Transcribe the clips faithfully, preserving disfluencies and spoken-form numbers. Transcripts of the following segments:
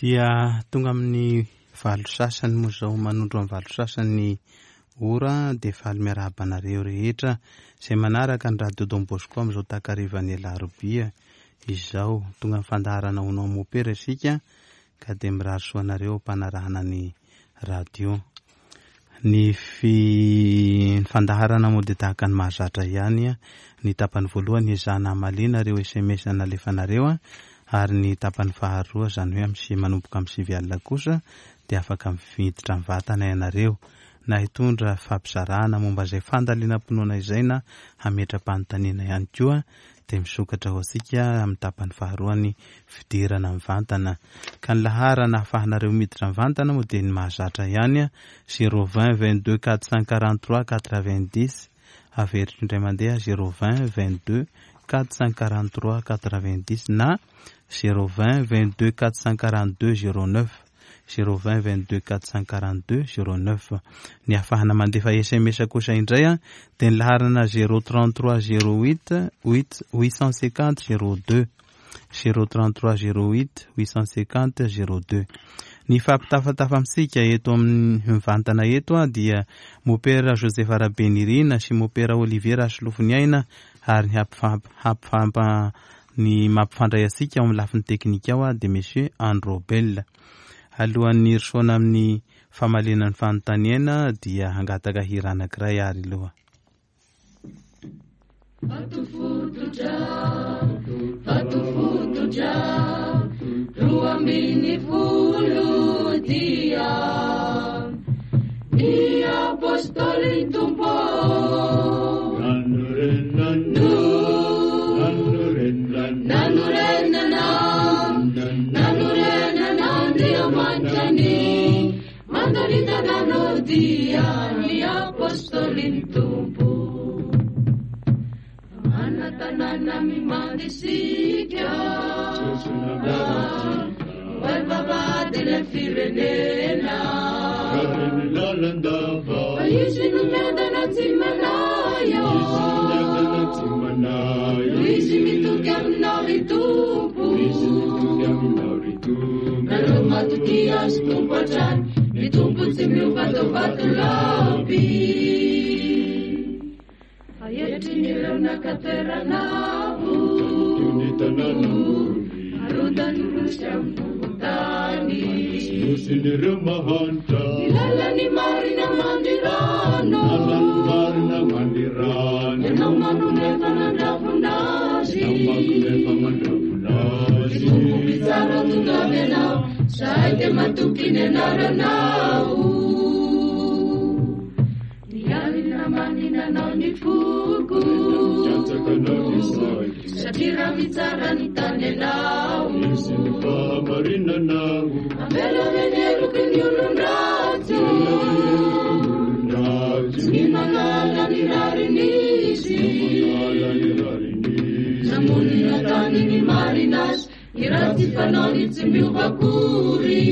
Dia tonga amin'ny valo sasany moa izao, manondro amin'ny valo sasany ora, dia faly miarahaba anareo rehetra izay manaraka ny Radio Don Bosco amin'izao takarivan'ny alarobia izao. Tonga amin'ny fandaharana ho anao mopera isika ka dia mirary soa anareo am-panarahana ny radio. Ny fi ny fandaharana moa dia tahaka ny mahazatra ihany. Ny tapany voalohany ezahana hamaliana ireo S M S nalefanareo, ary ny tapany faharoa, izany hoe amin'ny manomboka amin'ny sivy alina kosa, dia afaka miditra mivantana ianareo na hitondra fampizarana momba izay fandalinam-pinoana izay na hametra-panontaniana ihany koa, dia misokatra ho antsika amin'ny tapany faharoa ny fidirana mivantana. Ka ny laharana ahafahanareo miditra mivantana moa dia ny mahazatra ihany, zéro vingt vingt-deux quatre cent quarante-trois quatre-vingt-dix, averiko indray mandeha zéro vingt vingt-deux quatre cent quarante-trois quatre-vingt-dix na zéro vingt vingt-deux quatre cent quarante-deux zéro neuf, zéro vingt vingt-deux quatre cent quarante-deux zéro neuf. Ny ahafahana mandefa S M S kosa indray a, dia ny laharana zéro trente-trois zéro huit huit huit cent cinquante zéro deux, zéro trente-trois zéro huit huit cent cinquante zéro deux. Ny fampitafatafa amintsika eto amin'ny mivantana eto a, dia Mopera Joseph Rabenirina sy Mopera Olivier Rasolofoniaina, ary ny hampifamp-, hampifampa-, ny mampifandray antsika ao amin'ny lafiny teknika ao a, dia Monsieur Androbel. Alohan'ny hirosoana amin'ny famaliana ny fanontaniana dia hangataka hira anankiray ary aloha. Vato fototra, vato fototra, roa ambin'ny folo dia ny apôstôly Tompo. Nanorenana, nanorenana Andriamanitra ny mandaritana dia ny apôstôly Tompo. Manatanana mimandisika, Barbabadina firenena. Fa izy no miadana tsy manayo, izy mitoky aminao ry Tompo. Nareo matoky azy Tompo hatrany, ny Tompo tsy miova tao vatolampy. Fa etrin'ireo naka toerana avo, arodany rosy amin'ny vovon-tany. Nosin'ireo mahantra, Ny lalan'ny marina mandrirano, lalan'ny marina mandrirano. Ianao manome mandravona azy, Ianao manome mandravona azy. Ny Tompo mpitsara tonga avy ianao, zahay dia matoky ny anaranao. Ny alina manina anao ny foko, Mikatsaka anao ny saiko, satria raha mitsara ny tany ianao, Misy ny fahamarinanao. Avela ve ny heloky ny olon-dratsy? Olon-dratsy. Tsy manala ny rariny izy. Manala ny rariny izy. Namonina tany ny marina azy, ny ratsy fanaony tsy miova akory.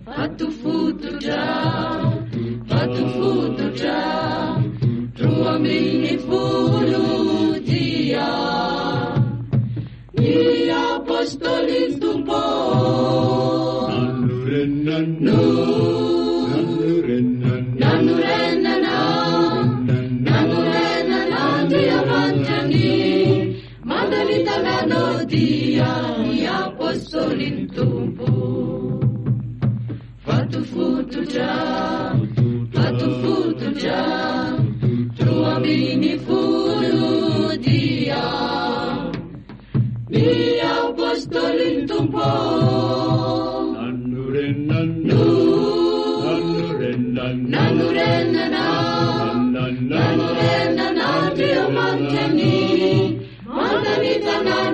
Vato fototra, vato fototra, roa ambin'ny folo dia ny apôstôly Tompo. Nanorenana, nanorenana, nanorenana, nanorenana Andriamanitra ny mandalitana dia ny apôstôly Tompo. Vato fototra, vato fototra, roa ambin'ny folo dia ny apôstôly Tompo. Nanorenana, nanorenana, nanorenana, nanorenana Andriamanitra ny mandalitana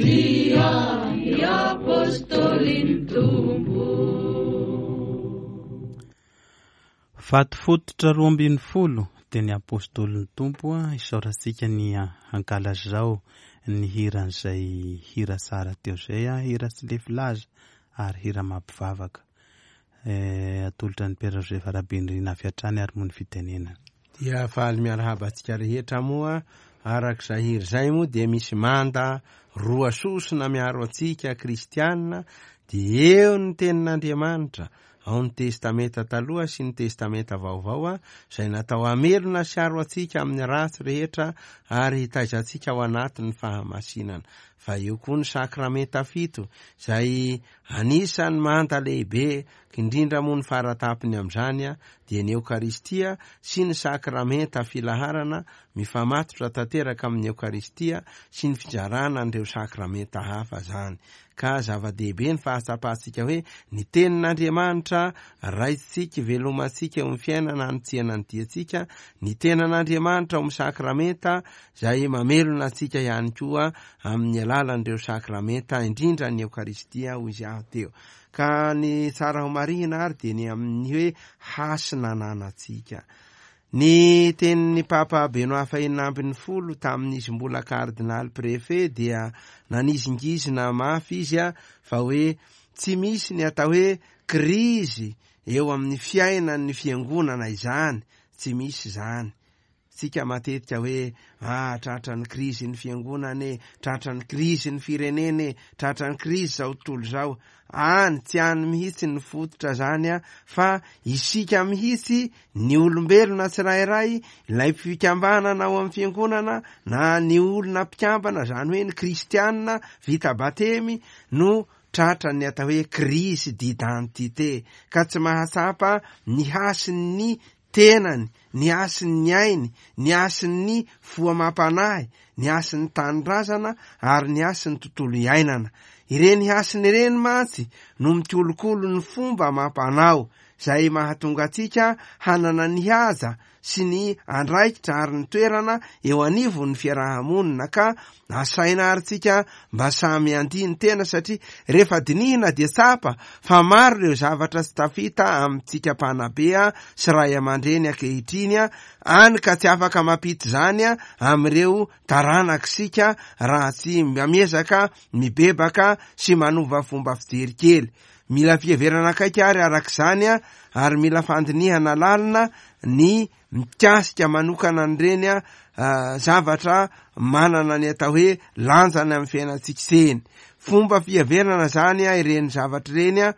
dia ny apôstôly Tompo. Vato fototra roa ambin'ny folo dia ny apôstôlin'ny Tompo. Isaorantsika ny ankalazao ny hiran'izay hira tsara teo izay, hira tsy lefy laza ary hira mampivavaka. Eh, atolotra ny Père Joseph Rabenirina avy hatrany ary moa ny fitenenana. Dia faly miarahaba antsika rehetra moa Araka izay hira izay moa dia misy manda roa sosona miaro antsika kristianina, dia eo ny tenin'Andriamanitra, ao ny Testamenta Taloha sy ny Testamenta Vaovao, izay natao hamelona sy aro antsika amin'ny ratsy rehetra ary hitaiza antsika ao anatin'ny fahamasinana. Fa eo koa ny sakramenta fito, izay anisan'ny manda lehibe, indrindra moa ny faratapony amin'izany dia ny Eokaristia sy ny sakramenta filaharana mifamatotra tanteraka amin'ny Eokaristia sy ny fizarana an'ireo sakramenta hafa zany. Ka zava-dehibe ny fahatsapantsika hoe ny tenin'Andriamanitra raisitsika, velomantsika eo amin'ny fiainana anitsiana ny diantsika, ny tenan'Andriamanitra ao amin'ny sakramenta izay mamelona antsika ihany koa amin'ny alalan'ireo sakramenta, indrindra ny Eokaristia hoy izy aho teo. Ka ny tsara ho marihina ary dia ny amin'ny hoe hasina ananantsika. Ny tenin'ny Papa Benoît fahenina ambin'ny folo tamin'izy mbola kardinaly préfet dia nanizingizina mafy izy a fa hoe tsy misy ny atao hoe krizy eo amin'ny fiainan'ny fiangonana izany, tsy misy izany. Tsika matetika hoe ah tratra ny krizy ny fiangonana e, tratra ny krizy ny firenena e, tratra ny krizy izao tontolo izao. Any tsy any mihitsy ny fototra zany a, fa isika mihitsy ny olombelona tsirairay, ilay fikambanana ao amin'ny fiangonana na ny olona mpikambana, zany hoe ny kristianina vita batemy no tratra ny atao hoe crise d'identité, ka tsy mahatsapa ny hasin'ny tenany, ny hasin'ny ainy, ny hasin'ny fo amam-panahy, ny hasin'ny tanindrazana ary ny hasin'ny tontolo iainana. Ireny hasiny ireny mantsy no mikolokolo ny fomba amam-panao izay mahatonga antsika hanana ny haja sy ny andraikitra ary ny toerana eo anivon'ny fiarahamonina. Ka asaina ary tsika mba samy handini tena, satria rehefa dinihina dia tsapa fa maro ireo zavatra tsy tafita amintsika mpanabe sy ray aman-dreny ankehitriny any, ka tsy afaka mampita izany amin'ireo taranak'isika raha tsy miezaka mibebaka sy manova fomba fijery kely. Mila fiheverana akaiky ary arak'izany ary mila fandinihana lalina ny mikasika manokana an'ireny zavatra manana ny atao hoe lanjany amin'ny fiainantsika ireny. Fomba fiheverana zany ireny zavatra ireny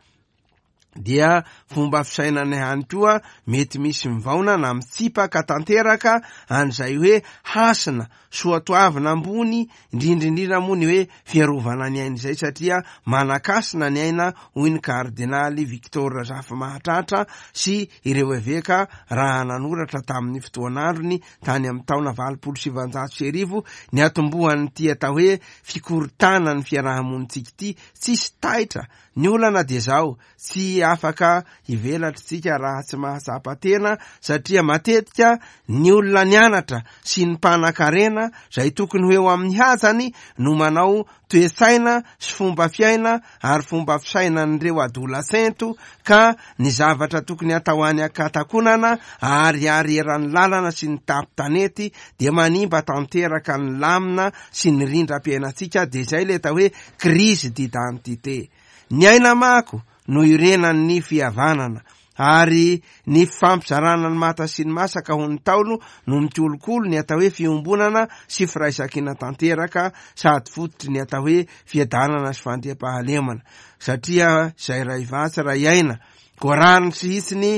dia fomba fisainana ihany koa, mety misy mivaona na mitsipaka tanteraka an'izay hoe hasina soatoavina ambony, indrindrindrindra moa ny hoe fiarovana ny aina izay, satria manakasina ny aina hoy ny kardinaly Victor Razafimahatratra sy ireo eveka raha nanoratra tamin'ny fotoan'androny tany amin'ny taona valopolo sivanjato sy arivo ny atombohan'ity atao hoe fikorontana ny fiarahamonintsika ity. Tsisy taitra ny olana dia zao, tsy afaka hivelatritsika raha tsy mahatsapa tena, satria matetika ny olona nianatra sy ny mpanan-karena izay tokony ho eo amin'ny hajany no manao toe-tsaina sy fomba fiaina ary fomba fisainan'ireo adolescento, ka ny zavatra tokony atao any an-katakonana ary ary eran'ny lalana sy ny tapitanety dia manimba tanteraka ny lamina sy ny rindram-piainantsika. Dia izay ilay atao hoe crise d'identité. Ny aina mako no irenan'ny fihavanana ary ny fampizarana ny mata sy ny masaka ho ny taolo no mikolokolo ny atao hoe fiombonana sy firaisankina tanteraka sady fototry ny atao hoe fiadanana sy fandriampahalemana, satria izay ray vatsy ray aina koa rariny sy hitsiny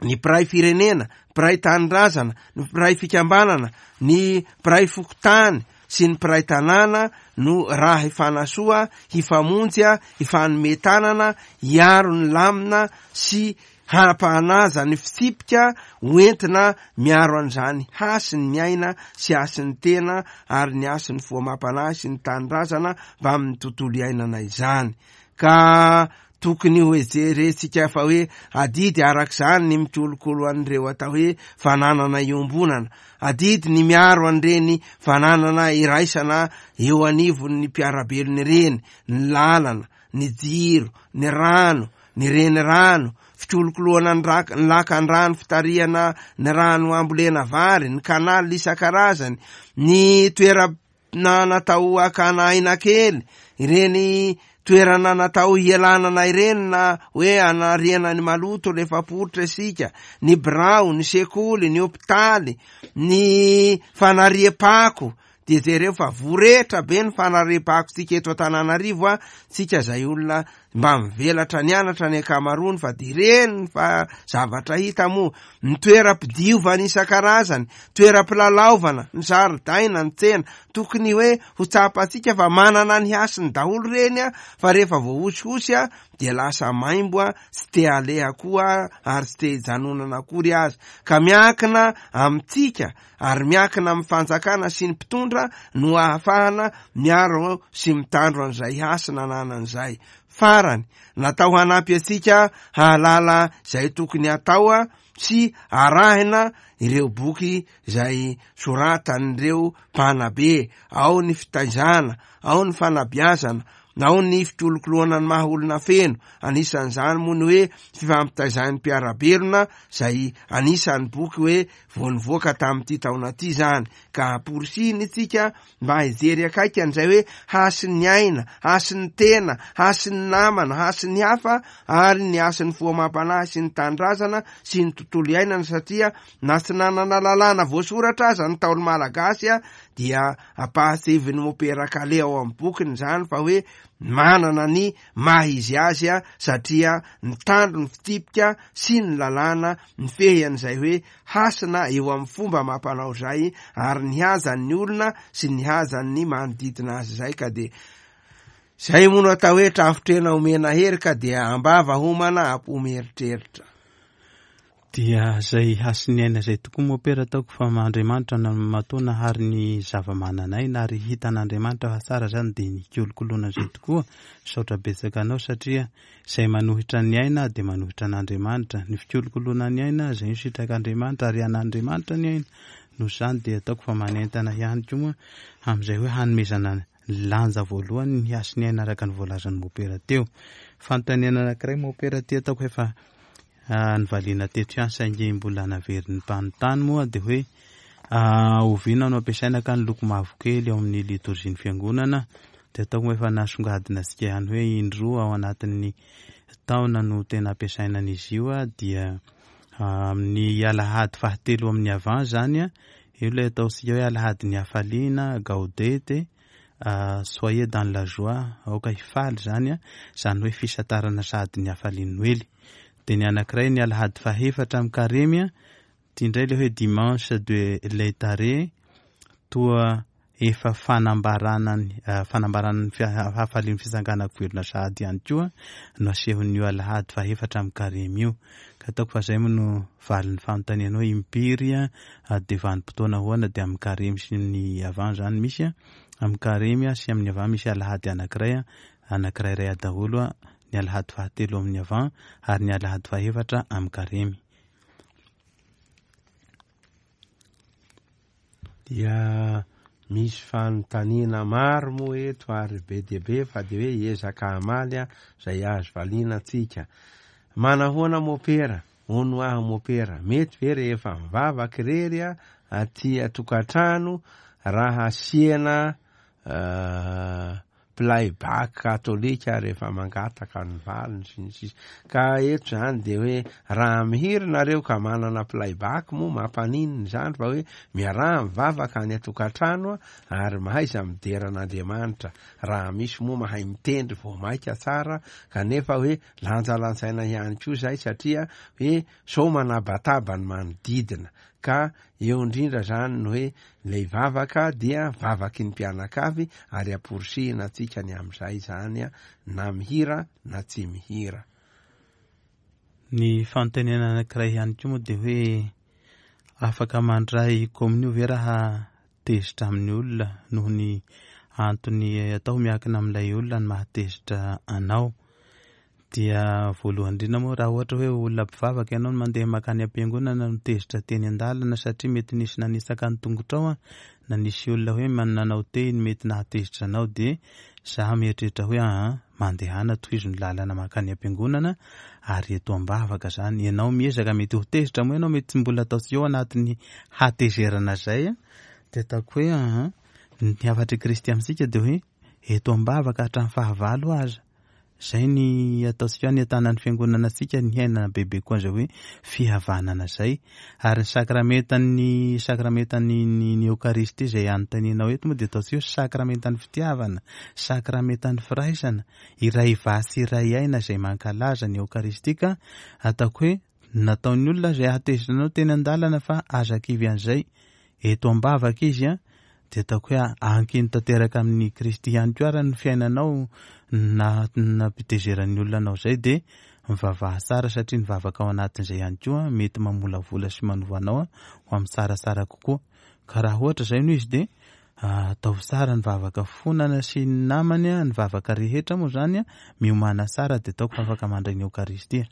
ny mpiray firenena, mpiray tanindrazana, ny mpiray fikambanana, ny mpiray fokontany sy ny mpiray tanàna no raha hifanasoa, hifamonjy, hifanome tanana, hiaro ny lamina sy hampahanaja ny fitsipika hoentina miaro an'izany hasin'ny aina sy hasin'ny tena ary ny hasin'ny fo amam-panahy sy ny tanindrazana mba amin'ny tontolo iainana izany. Ka tokony ho jerentsika fa hoe adidy arak'izany ny mikolokolo an'ireo atao hoe fananana iombonana, adidy ny miaro an'ireny fananana iraisana eo anivon'ny mpiarabelona ireny, ny lalana, ny jiro, ny rano, ny renirano, fikolokoloana ny rak-, ny lakan-drano, fitarihana ny rano ambolena vary, ny kanaly isan-karazany, ny toerana natao hakana aina kely, ireny toerana natao hialanana ireny na hoe anariana ny maloto rehefa poritra isika, ny birao, ny sekoly, ny hopitaly, ny fanariam-pako. Dia jereo fa voretra be ny fanariam-pako tsika eto Antananarivo a, tsika zay olona mba mivelatra nianatra ny ankamaroany, fa de ireny fa zavatra hita moa, ny toeram-pidiovana isan-karazany, toeram-pilalaovana, ny zaridaina, ny tsena, tokony hoe ho tsapantsika fa manana ny hasiny daholo ireny a, fa rehefa voahosihosy a dia lasa maimbo a, tsy te haleha koa ary tsy te hijanonana akory aza. Ka miankina amintsika ary miankina amin'ny fanjakana sy ny mpitondra no ahafahana miaro sy mitandro an'izay hasina ananan'izay. Farany, natao hanampy antsika hahalala izay tokony atao a sy arahina ireo boky izay soratan'ireo mpanabe. Ao ny fitaizana, ao ny fanabeazana, ao ny fikolokoloana ny maha olona feno. Anisan'izany moa ny hoe fifampitaizan'ny mpiara-belona, izay anisan'ny boky hoe vao nivoaka tamin'ity taona ity izany. Ka amporisihina isika mba hijery akaiky an'izay hoe hasin'ny aina, hasin'ny tena, hasin'ny namana, hasin'ny hafa, ary ny hasin'ny fo amam-panahy sy ny tanindrazana sy ny tontolo iainana, satria na tsy nanana lalàna voasoratra aza ny Ntaolo malagasy a, dia ampahatsiahivin'ny Mopera Kale ao amin'ny bokiny izany fa hoe manana ny maha izy azy a, satria nitandro ny fitsipika sy ny lalàna nifehy an'izay hoe hasina eo amin'ny fomba mampanao izay, ary ny hazan'ny olona sy ny hazan'ny manodidina azy izay. Ka dia izay moa no atao hoe trafotrena omena hery, ka dia ambava homana apo mieritreritra. Dia izay hasin'ny aina izay tokoa Mopera, ataoko fa Andriamanitra no matoa nahary ny zava-manan'aina ary hitan'Andriamanitra fa tsara izany, dia nikolokoloana izay tokoa. Misaotra betsaka anao, satria izay manohitra ny aina dia manohitra an'Andriamanitra. Ny fikolokoloana ny aina izay no sitrak'Andriamanitra ary an'Andriamanitra ny aina. Noho izany dia ataoko fa manentana ihany koa moa amin'izay hoe hanomezana lanja voalohany ny hasin'ny aina araka ny voalazan'ny Mopera teo. Fanontaniana anankiray Mopera ty ataoko efa nivaliana teto ihany saingy mbola naverin'ny mpanontany moa, dia hoe oviana no ampiasaina ka ny loko mavokely ao amin'ny litorzian'ny fiangonana? Dia ataoko moa efa nasongadina antsika ihany hoe indroa ao anatin'ny taona no tena ampiasaina an'izy io a, dia amin'ny alahady fahatelo amin'ny avant zany a, io ilay ataontsika hoe alahady ny hafaliana, gaudete, soyez dans la joie, aoka hifaly zany a, zany hoe fisantarana sahady ny hafalian'ny Noely. Dia ny anankiray ny alahady fahefatra amin'ny karemy a, ity indray ilay hoe dimanche de Laetare, toa efa fanambarana ny, fanambarana ny hafalian'ny fitsanganako velona sahady ihany koa no asehon'io alahady fahefatra amin'ny karemy io. Ka ataoko fa izay moa no valin'ny fanontaniana hoe impiry a, dia vanim-potoana ahoana, dia amin'ny karemy sy ny avant zany misy a, amin'ny karemy sy amin'ny avant misy alahady anankiray a, anankiray iray daholo a, ny alahady fahatelo amin'ny avant ary ny alahady fahefatra amin'ny karemy. Dia misy fanontaniana maro moa eto ary be dia be, fa dia hoe hiezaka hamaly a izay azo valiana antsika. Manahoana Mopera? Hono aho Mopera, mety ve rehefa mivavaka irery a aty an-tokantrano raha asiana playback katolika rehefa mangataka ny valiny sy ny sisa? Ka eto zany dia hoe raha mihira nareo ka manana playback moa mampaninona izany, fa hoe miaraha mivavaka any an-tokantrano ary mahaiza midera an'Andriamanitra. Raha misy moa mahay mitendry vao maika tsara, kanefa hoe lanjalanjaina ihany koa izay, satria hoe sao manabataba ny manodidina. Ka eo indrindra zany ny hoe ilay vavaka dia vavaky ny mpianakavy ary amporisihina antsika ny amin'izay zany a, na mihira na tsy mihira. Ny fanontaniana anankiray ihany koa moa dia hoe afaka mandray komonio ve raha tezitra amin'ny olona noho ny antony atao miankina amin'ilay olona ny mahatezitra anao? Dia voalohany indrindra moa raha ohatra hoe olona mpivavaka ianao no mandeha mankany am-piangonana no tezitra teny an-dalana satria mety nisy nanisaka ny tongotrao a, na nisy olona hoe nanao teny mety nahatezitra anao, dia za mieritreritra hoe aha, mandehana tohizo ny lalana mankany am-piangonana ary eto am-bavaka zany. Ianao miezaka mety ho tezitra moa ianao, mety tsy mbola atao tsy eo anatin'ny hatezerana zay a, dia ataoko hoe aha, ny hafatr'i Kristy amintsika dia hoe eto am-bavaka hatramin'ny fahavalo aza. Zay ny ataontsika ny atanan'ny fiangonana antsika ny hiainana bebe koa an'izay hoe fihavanana zay. Ary ny sakramentan'ny sakramentan'ny ny, ny Eokaristia izay anontanianao eto moa dia ataontsika hoe sakramentan'ny fitiavana, sakramentan'ny firaisana, iray vasy iray aina izay mankalaza ny Eokaristia ka ataoko hoe nataon'ny olona izay hahatezitra anao teny an-dalana fa aza kivy an'izay. Eto am-bavaka izy a, dia ataoko hoe ankino tanteraka amin'ny Kristy ihany koa ary ny fiainanao na nampitezeran'ny olona anao izay dia mivavaha tsara satria ny vavaka ao anatin'izay ihany koa mety mamolavola sy manova anao ho amin'ny tsaratsara kokoa. Ka raha ohatra izay no izy dia ataovy tsara ny vavaka fonana sy ny namany, ny vavaka rehetra moa zany miomàna tsara dia ataoko fa afaka mandray ny Eokaristia.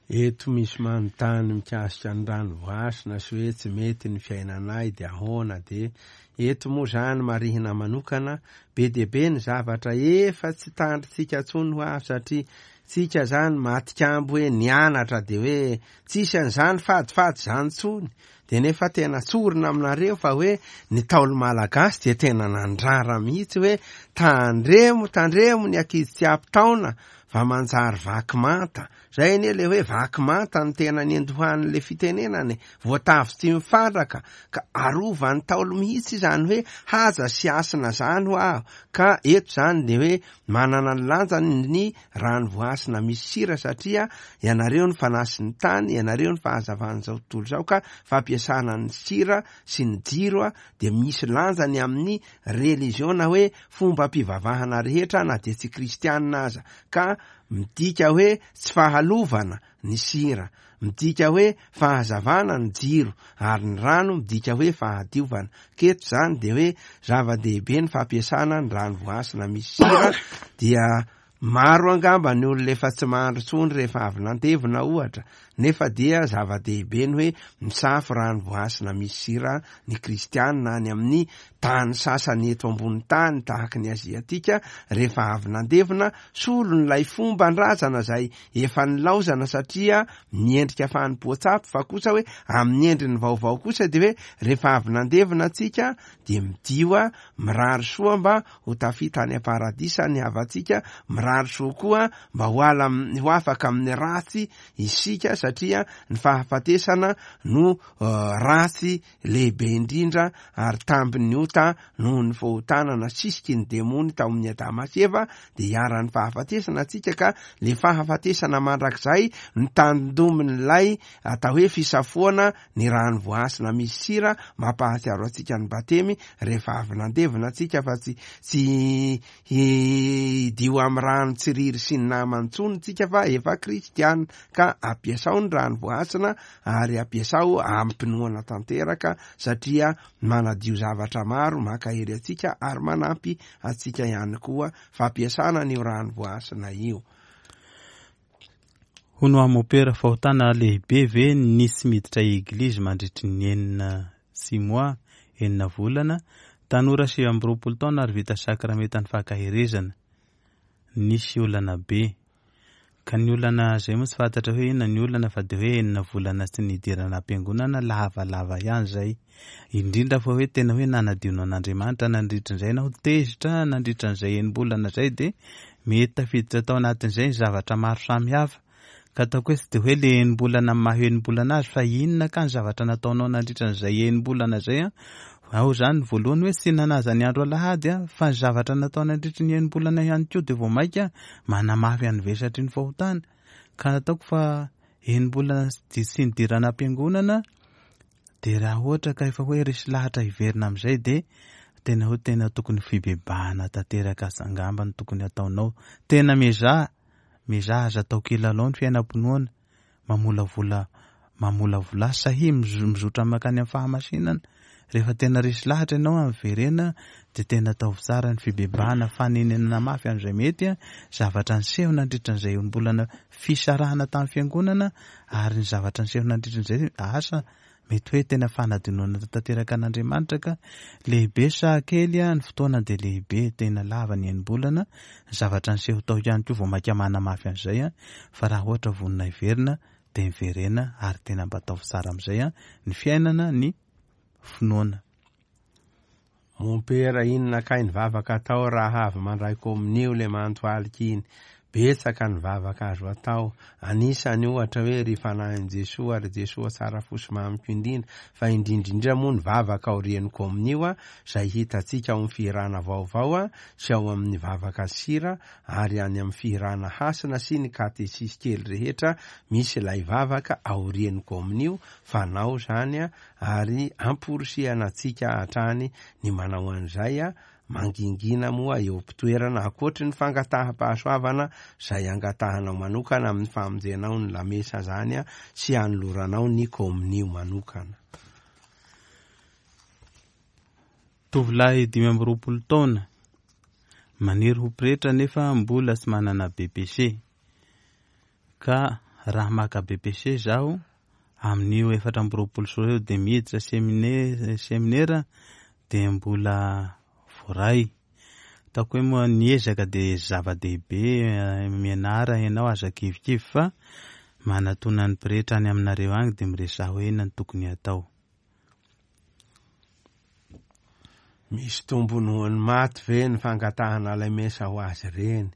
Eto misy manontany mikasika ny rano voasina sy hoe tsy mety ny fiainanay dia ahoana dia eto moa zany marihina manokana be dia be ny zavatra efa tsy tandritsika intsony ho avy satria tsika zany matikambo hoe nianatra dia hoe tsisy an'izany fadifady zany intsony dia nefa tena tsorina aminareo fa hoe ny Ntaolo malagasy dia tena nandrara mihitsy hoe tandremo tandremo ny ankizy tsy ampy taona fa manjary vaky manta. Zay anie le hoe vaky manta ny tena niandohan'le fitenenany, voatavo tsy mifandraka ka arovan'ny Ntaolo mihitsy izany hoe haja sy hasina zany ho aho. Ka eto zany de hoe manana ny lanjany ny rano voasina misy sira satria ianareo ny fanasin'ny tany, ianareo ny fahazavan'izao tontolo izao ka fampiasana ny sira sy ny jiro a dia misy lanjany amin'ny religion na hoe fombam-pivavahana rehetra na dia tsy kristianina aza. Ka midika hoe tsy fahalovana ny sira, midika hoe fahazavana ny jiro, ary ny rano midika hoe fahadiovana. Keto zany de hoe zava-dehibe ny fampiasana ny rano voasina misy sira. Dia maro angamba ny olona efa tsy mandro intsony rehefa avy nandevina ohatra, nefa dia zava-dehibe ny hoe misafo rano voasina misy sira ny kristianina any amin'ny tany sasany eto ambony tany tahaky ny aziatika rehefa avy nandevina, solon'ilay fomban-drazana zay efa nilaozana satria miendrika fanompoan-tsampy, fa kosa hoe amin'ny endriny vaovao kosa de hoe rehefa avy nandevina antsika dia midio mirary soa mba ho tafita any am-paradisa ny havantsika, mirary soa koa mba ho ala ho afaka amin'ny ratsy isika satria ny fahafatesana no ratsy lehibe indrindra ary tambin'ny ota noho ny fahotana nasisiky ny demony tao amin'ny Adama sy Eva dia iharan'ny fahafatesana antsika. Ka le fahafatesana mandrakizay ny tandomin'ilay atao hoe fisafoana ny rano voasina misy sira mampahatsiaro antsika ny batemy rehefa avy nandevina antsika fa tsy tsy hidio amin'ny rano tsiriry sy ny namany intsony tsika fa efa kristiana. Ka ampiasao ny rano voasina ary ampiasao ampinoana tanteraka satria manadio zavatra maro, mankahery antsika ary manampy antsika ihany koa fampiasana ny rano voasina io. Hono amopera fahotana lehibe ve nisy miditra eglizy mandritry ny enina six mois, enina volana, tanora sivy amby roapolo taona ary vita sakramentan'ny fankaherezana. Nisy olana be. Ka ny olana zay moa tsy fantatra hoe inona ny olana fa de hoe enina volana tsy nidirana am-piangonana lavalava ihany zay. Indrindra fa hoe tena hoe nanadino an'Andriamanitra nandritran'izay na ho tezitra nandritran'izay enim-bolana zay de mety tafiditra tao anatin'izay ny zavatra maro samihafa. Ka ataoko hoe tsy de hoe le enim-bolana maha enim-bolana azy fa inona ka ny zavatra nataonao nandritran'izay enim-bolana zay a. Ao zany voalohany hoe tsy nanaja ny andro alahady a, fa ny zavatra natao nandritry ny enim-bolana ihany koa de vao mainka manamafy an'ny vesatry ny fahotana. Ka ataoko fa enim-bolana tsy nidirana am-piangonana de raha ohatra ka efa hoe resy lahatra hiverina amin'izay de tena hoe tena tokony fibebahana tanteraka angamba no tokony ataonao. Tena miezaha, miezaha aza atao kilalao ny fiainam-pinoana, mamolavola mamolavola sahy mizotra mankany amin'ny fahamasinana. Rehefa tena resy lahatra ianao amin'ny verena de tena ataovy tsara ny fibebahana, fanenenana mafy amin'izay mety a, zavatra niseho nandritran'izay enim-bolana fisarahana tamin'ny fiangonana ary ny zavatra niseho nandritran'izay asa mety hoe tena fanadinoana tanteraka an'Andriamanitra. Ka lehibe sa kely a, ny fotoana de lehibe, tena lava ny enim-bolana, ny zavatra niseho tao ihany koa vao mainka manamafy an'izay a, fa raha ohatra vonona hiverina de miverena ary tena mba ataovy tsara amin'izay a ny fiainana ny finoana. Mompera, inona kay ny vavaka atao raha avy mandray komonio le mantohalika iny? Betsaka ny vavaka azo atao, anisany ohatra hoe ry fanahin'i Jesoa, ry Jesoa tsara fo sy mamiko indrindra, fa indrindrindra moa ny vavaka aorian'ny komonio izay hitantsika ao amin'ny fihirana vaovao sy ao amin'ny vavaka sira ary any amin'ny fihirana hasina sy ny katesisy kely rehetra misy ilay vavaka aorian'ny komonio fanao zany ary amporisihana antsika hatrany ny manao an'izay mangingina moa eo am-pitoerana ankoatry ny fangataham-pahasoavana izay angatahanao manokana amin'ny famonjenao ny lamesa zany sy anoloranao ny komonio manokana. Tovolahy dimy amby roapolo taona maniry ho pretra nefa mbola tsy manana B P C. Ka raha maka B P C zaho amin'io efatra amby roapolo sy roa arivo dia miditra semine-, seminera dia mbola voaray. Ataoko hoe moa ny ezaka dia zava-dehibe, mianara ianao aza kivikivy fa manatona ny pretra any aminareo agny dia miresaha hoe inona no tokony hatao. Misy tombony ho an'ny maty ve ny fangatahana ilay mesa ho azy ireny?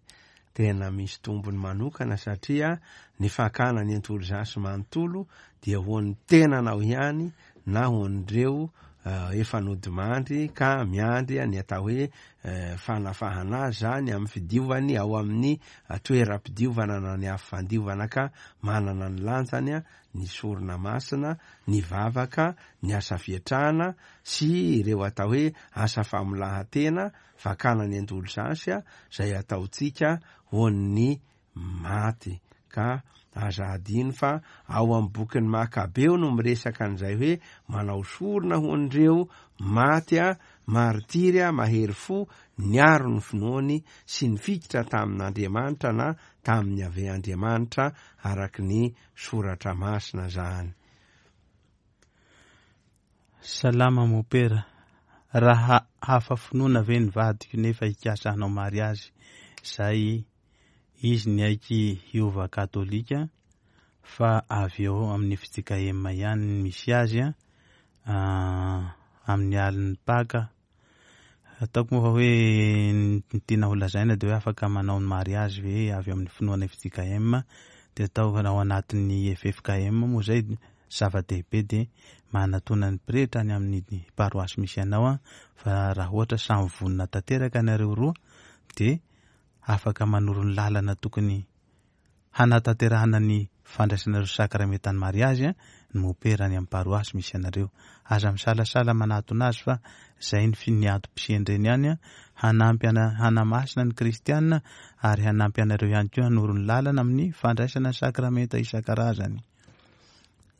Tena misy tombony manokana satria ny fakana ny entolozasy manontolo dia ho an'ny tenanao ihany na ho an'ireo, eh, efa nodimandry ka miandry ny atao hoe, eh, fanafahana azy zany amin'ny fidiovany ao amin'ny toeram-pidiovana na ny afo fandiovana ka manana ny lanjany a, ny sorona masina, ny vavaka, ny asa fiatrana sy ireo atao hoe asa famolahan-tena, fakana ny entolozasy a, izay ataontsika ho an'ny maty. Ka aza adino fa ao amin'ny bokin'ny Makabeo no miresaka an'izay hoe manao sorona ho an'ireo maty a, martiry a, mahery fo, niaro ny finoany sy nifikitra tamin'Andriamanitra na tamin'ny Yaveh Andriamanitra araky ny soratra masina zany. Salama mopera, raha hafa finoana ve ny vadiko nefa hikasa hanao mariazy zay izy niaiky hiova katolika fa avy eo amin'ny F J K M ihany ny misy azy a, ah, amin'ny alin'ny Paka. Ataoko moa fa hoe ny tiana ho lazaina dia hoe afaka manao ny mariazy ve avy amin'ny finoana F J K M dia atao ao anatin'ny F F K M moa zay zava-dehibe dia manatona ny pretra any amin'ny paroasy misy anao a, fa raha ohatra samy vonona tanteraka nareo roa dia afaka manoro ny lalana tokony hanatanterahana ny fandraisanareo sakramentan'ny mariazy a, ny mopera any amin'ny paroasy misy anareo. Aza misalasala manatona azy fa zay ny fi-, ny antom-pisian'ireny ihany a, hanampy ana-, hanamasina ny kristiana ary hanampy anareo ihany koa hanoro ny lalana amin'ny fandraisana sakramenta isan-karazany.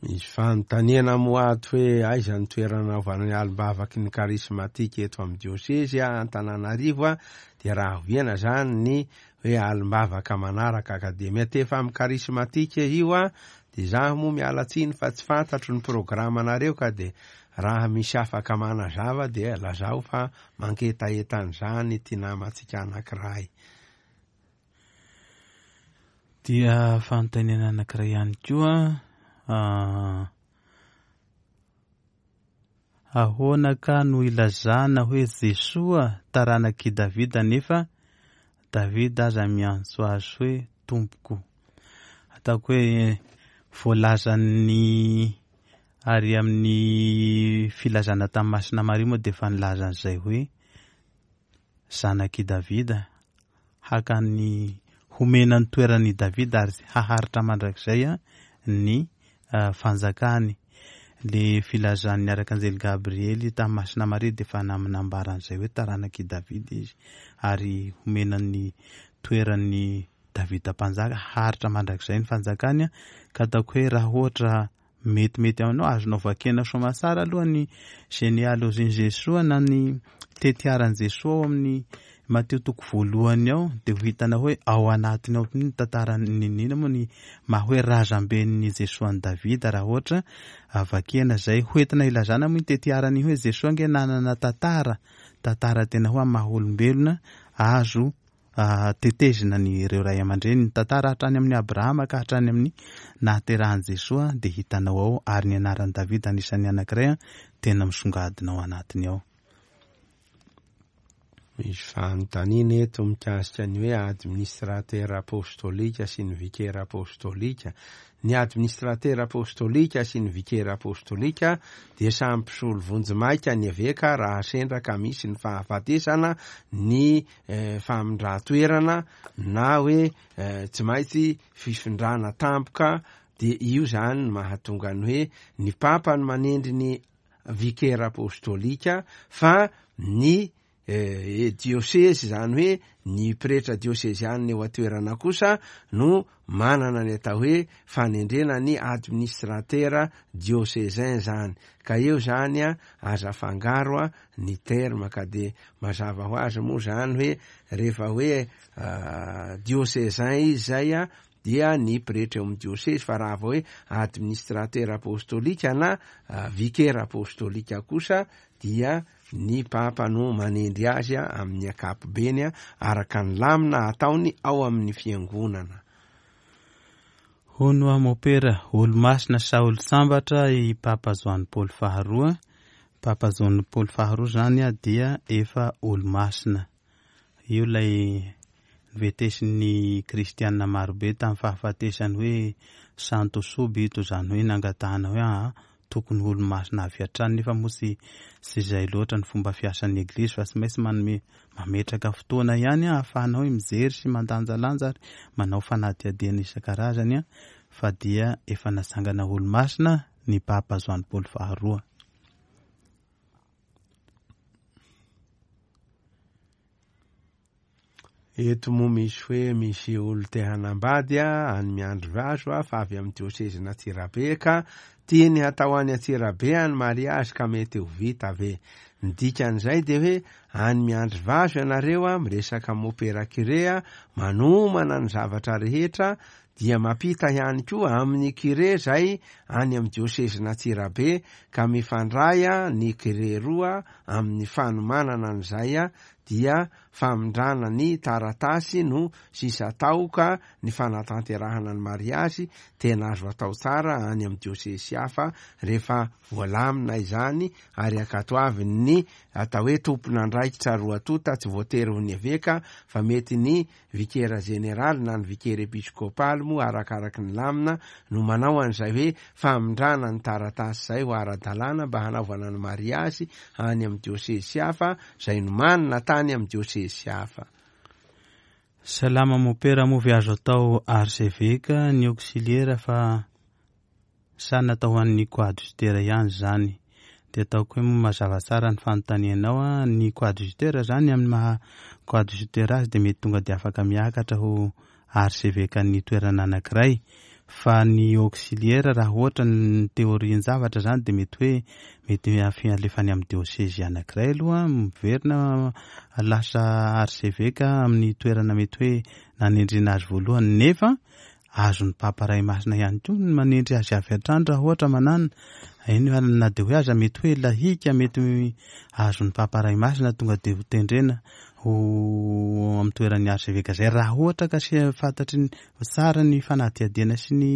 Misy fanontaniana moa ato hoe aiza ny toerana anaovana ny alim-bavaky ny karismatika eto amin'ny diosezy a, Antananarivo a, dia raha oviana zany ny hoe alim-bavaka manaraka ka dia miantefa amin'ny karismatika io a, dia zaho moa miala tsiny fa tsy fantatro ny programanareo ka dia raha misy afaka manazava dia lazao fa mangetaheta an'izany ity namantsika anankiray. Dia fanontaniana anankiray ihany koa, ah, ahoana ka no ilazana hoe Jesoa taranak'i Davida nefa Davida aza miantso azy hoe tompoko? Ataoko hoe voalazan'ny ary amin'ny filazana tamin'ny Masina Maria moa dia efa nilaza an'izay hoe zanak'i Davida, haka ny homena ny toeran'i Davida ary haharitra mandrakizay a, ny, ah, fanjakany. Le filazan'ny arkanjely Gabriely tamin'ny Masina Maria dia efa nambaran'izay hoe taranak'i Davida izy ary homena ny toeran'i Davida mpanjaka, haharitra mandrakizay ny fanjakany a. Ka ataoko hoe raha ohatra metimety aminao, azonao vakiana soamatsara aloha ny genealogie-n'i Jesoa na ny tetiaran'i Jesoa ao amin'ny Matio toko voalohany ao, dia ho hitanao hoe ao anatiny ao ny tantaran'ny nina moa ny maha hoe razamben'ny Jesoa an'i Davida raha ohatra vakiana izay hoentina ilazana moa ny tetiarany hoe Jesoa ange nanana tantara, tantara tena hoe maha olombelona azo, ah, tetezina ny ireo ray aman-dreny, ny tantara hatrany amin'ny Abrahama ka hatrany amin'ny nahaterahan'i Jesoa dia hitanao ao, ary ny anaran'i Davida anisan'ny anankiray a, tena misongadina ao anatiny ao. Misy fanontaniana eto mikasika ny hoe administrateur apostolika sy ny vicaire apostolika. Ny administrateur apostolika sy ny vicaire apostolika dia samy mpisolo vonjimaika ny eveka raha sendra ka misy ny fahafatesana, ny eh, famindran-toerana na hoe eh, tsy maintsy fifindrana tampoka, dia io zany no mahatonga ny hoe ny papa no manendry ny vicaire apostolika, fa ny eh, diosezy, zany hoe ny pretra diosezianina eo an-toerana kosa no manana ny atao hoe fanendrena ny administrateur diocesain zany. Ka eo zany a, aza afangaro a ny terme, ka de mazava ho azy moa zany hoe rehefa hoe, ah, diocesain izy zay a, dia ny pretra eo amin'ny diosezy, fa raha vao hoe administrateur apostolika na, ah, vicaire apostolika kosa dia ny papa no manendry azy a amin'ny ankapobeny a, araka ny lamina ataony ao amin'ny fiangonana. Hono mopera, olo-masina sa olo-sambatra i Papa Joany Paoly faharoa. Papa Joany Paoly faharoa zany a dia efa olo-masina. Io ilay novetesin'ny kristianina marobe tamin'ny fahafatesany hoe santo subito, zany hoe nangatahana hoe aa, tokony ho olo-masina avy hatrany, nefa moa tsy, tsy izay loatra ny fomba fiasan'ny eglizy, fa tsy maintsy manome, mametraka fotoana ihany a, ahafahana hoe mijery sy mandanjalanja ary manao fanadihadiana isan-karazany a, fa dia efa natsangana olo-masina ny Papa Joany Paoly faharoa. Eto moa misy hoe misy olo te hanambady a, any Miandrivazo a, fa avy amin'ny diosezin'Antsirabe ka tiany hatao any Antsirabe any mariazy ka mety ho vita ve? Ny dikan'izay dia hoe any Miandrivazo ianareo a, miresaka mopera curé a, manomana ny zavatra rehetra, dia mampita ihany koa amin'ny curé zay any amin'ny diosezin'Antsirabe, ka mifandray a ny curé roa amin'ny fanomanana an'izay a, dia famindrana ny taratasy no sisa atao, ka ny fanatanterahana ny mariazy tena azo atao tsara any amin'ny diosezy hafa rehefa voalamina izany, ary ankatoavin'ny atao hoe tompon'andraikitra roa tonta, tsy voatery ho ny eveka fa mety ny vikera jeneraly na ny vikera episkopaly moa arakaraky ny lamina no manao an'izay hoe famindrana ny taratasy izay ho ara-dalàna mba hanaovana ny mariazy any amin'ny diosezy hafa izay nomanina tany amin'ny diosezy hafa. Salama mopera, moa ve azo atao archevêque ny auxiliaire fa sa natao ho an'ny coadjuteur ihany zany? Dia ataoko hoe moa mazava tsara ny fanontanianao a, ny coadjuteur zany amin'ny maha coadjuteur azy dia mety tonga dia afaka miakatra ho archevêque ny toerana anankiray, fa ny auxiliaire raha ohatra ny théorie-n-javatra zany dia mety hoe mety alefany amin'ny diosezy anankiray aloha, miverina lasa archevêque amin'ny toerana mety hoe nanendrena azy voalohany, nefa azon'ny Papa Ray Masina ihany koa ny manendry azy avy hatrany raha ohatra manana. Eny, na dia hoe aza mety hoe lahika, mety azon'ny Papa Ray Masina tonga dia ho tendrena ho amin'ny toeran'ny archevêque zay, raha ohatra ka sy fantatry ny tsara ny fanadihadiana sy ny,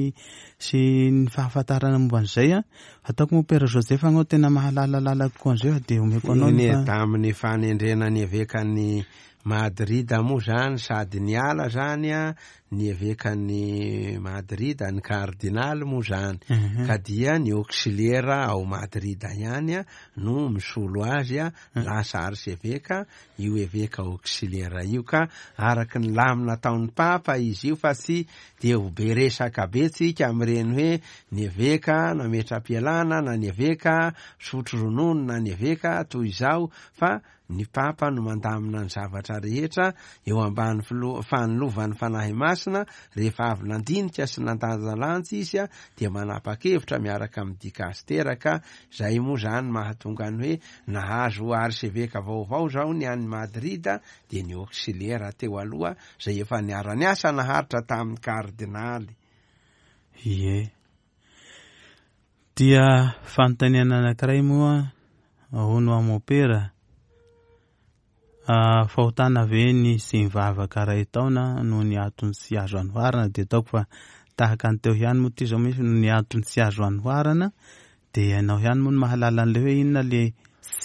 sy ny fahafantarana momba an'izay a. Ataoko moa Père Joseph anao tena mahalalalala kokoa an'izay, fa dia omeko anao ny Eny, fa- tamin'ny fanendrena ny evekan'ny Madrid moa zany, sady niala zany a, ny evekan'ny Madrid, ny kardinaly moa zany. Mhm. Ka dia ny auxiliaire ao Madrid ihany a, no misolo azy a, lasa archevêque io eveka auxiliaire io, ka araky ny lamina ataon'ny papa izy io, fa tsy dia ho be resaka be tsika amin'ireny hoe ny eveka nametra-pialana na ny eveka misotro ronono na ny eveka toy izao, fa ny papa no mandamina ny zavatra rehetra eo ambany filo-, fanilovan'ny Fanahy Masina. Rehefa avy nandinika sy nandanjalanja izy a, dia manapa-kevitra miaraka amin'ny dikastera, ka zay moa zany mahatonga ny hoe nahazo archevêque vaovao zao ny any Madrid, dia ny auxiliaire teo aloha zay efa niara-niasa naharitra tamin'ny kardinaly. Ie. Dia fanontaniana anankiray moa hono amopera. Ah, fahotana ve ny sy mivavaka iray taona noho ny antony tsy azo anoharana? Dia ataoko fa tahaka ny teo ihany moa ity zao misy noho ny antony tsy azo anoharana, dia ianao ihany moa no mahalala an'ilay hoe inona le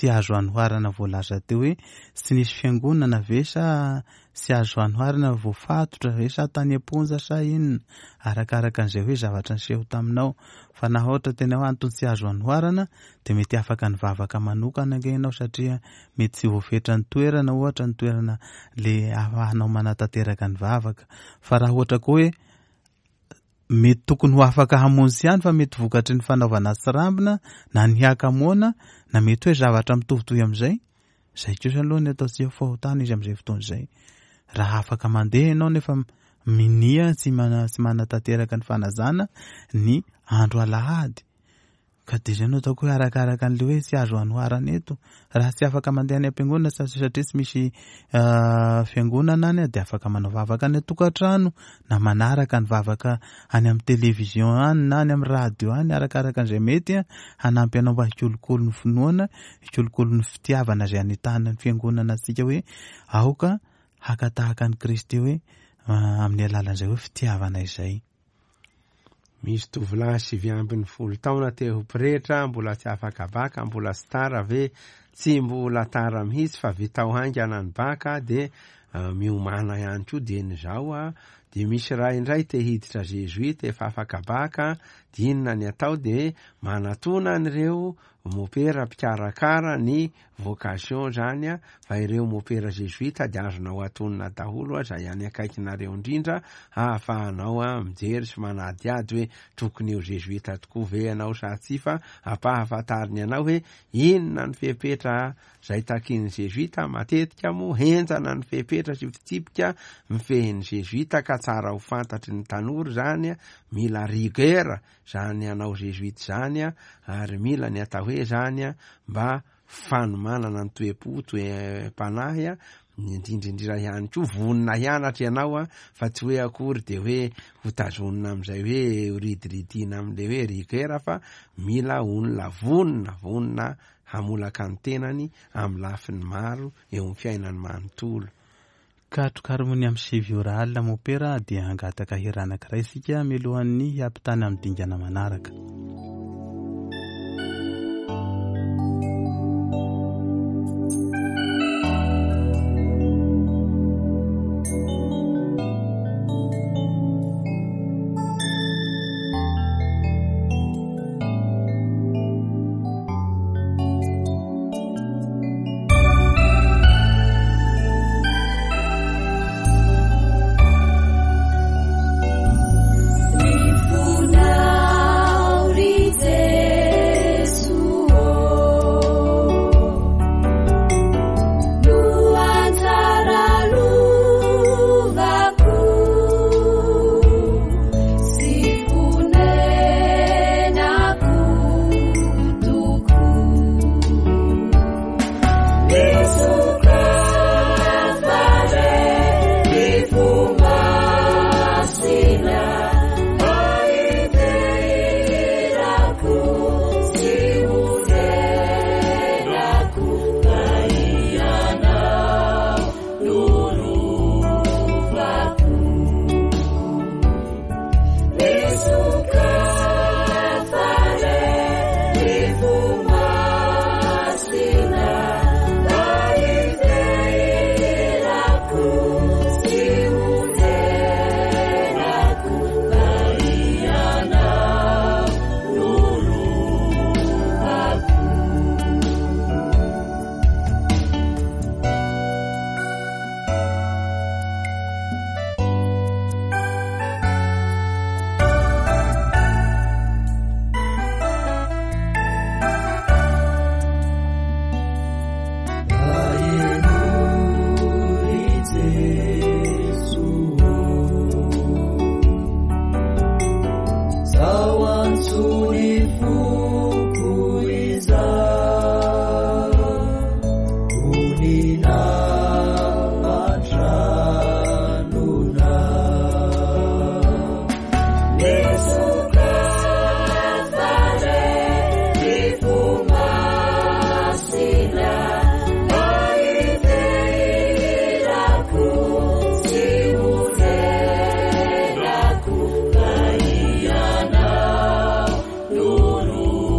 tsy azo anoharana voalaza teo hoe tsy nisy fiangonana ve sa tsy azo anoharana voafatotra ve sa tany am-ponja sa inona, arakaraka an'izay hoe zavatra niseho taminao. Fa na ohatra tena hoe antony tsy azo anoharana dia mety afaka nivavaka manokana ange ianao satria mety tsy voafetra ny toerana, ohatra ny toerana le ahafahanao manatanteraka ny vavaka. Fa raha ohatra koa hoe mety tokony ho afaka hamonjy ihany fa mety vokatry ny fanaovana tsirambina na ny hakamoana na mety hoe zavatra mitovitovy amin'izay, izay kosa aloha ny ataontsika fahotana izy amin'izay fotoana izay. Raha afaka mandeha ianao nefa minia tsy mana-, tsy manatanteraka ny fanajana ny andro alahady, ka dia izay no ataoko hoe arakaraka an'ilay hoe tsy azo anoharana eto. Raha tsy afaka mandeha any am-piangonana satria tsy misy, ah, fiangonana any, dia afaka manao vavaka any an-tokantrano na manaraka ny vavaka any amin'ny télévision any na any amin'ny radio any, arakaraka an'izay mety hanampy anao mba hikolokolo ny finoana, hikolokolo ny fitiavana izay anitahana ny fiangonana antsika hoe aoka haka tahaka an'i Kristy hoe, ah, amin'ny alalan'izay hoe fitiavana izay. Misy tovolahy sivy ambin'ny folo taona te ho pretra, mbola tsy afaka baka, mbola tsy tara ve? Tsy mbola tara mihitsy fa vitao haingana ny baka, dia, eh, miomana ihany koa dieny izao a. Dia misy ray indray te hiditra jesuite efa afaka baka, dia inona ny atao? Dia manatona an'ireo mopera mpikarakara ny vocation zany a, fa ireo mopera jesuite dia azonao atonina daholo a, izay any akaikinareo indrindra, ahafahanao a mijery sy manadihady hoe tokony ho jesuite tokoa ve ianao sa tsia, fa ampahafantariny anao hoe inona ny fepetra izay takin'ny jesuite. Matetika moa henjana ny fepetra sy fitsipika mifehin'ny jesuite, ka tsara ho fantatry ny tanora zany a, mila rigueur zany anao jesuite zany a, ary mila ny atao hoe zany a mba fanomanana ny toe-po, toe-panahy a, indrindrindrindra ihany koa vonona hianatra ianao a, fa tsy hoe akory de hoe ho tazonina amin'izay hoe ho ridiridiana amin'ilay hoe rigueur, fa mila olona vonona, vonona hamolaka ny tenany amin'ny lafiny maro eo amin'ny fiainany manontolo. Katrokaromony amin'ny sivy ora alina mopera dia hangataka hira anankiray isika mialohan'ny hiampitana amin'ny dingana manaraka. Nuru.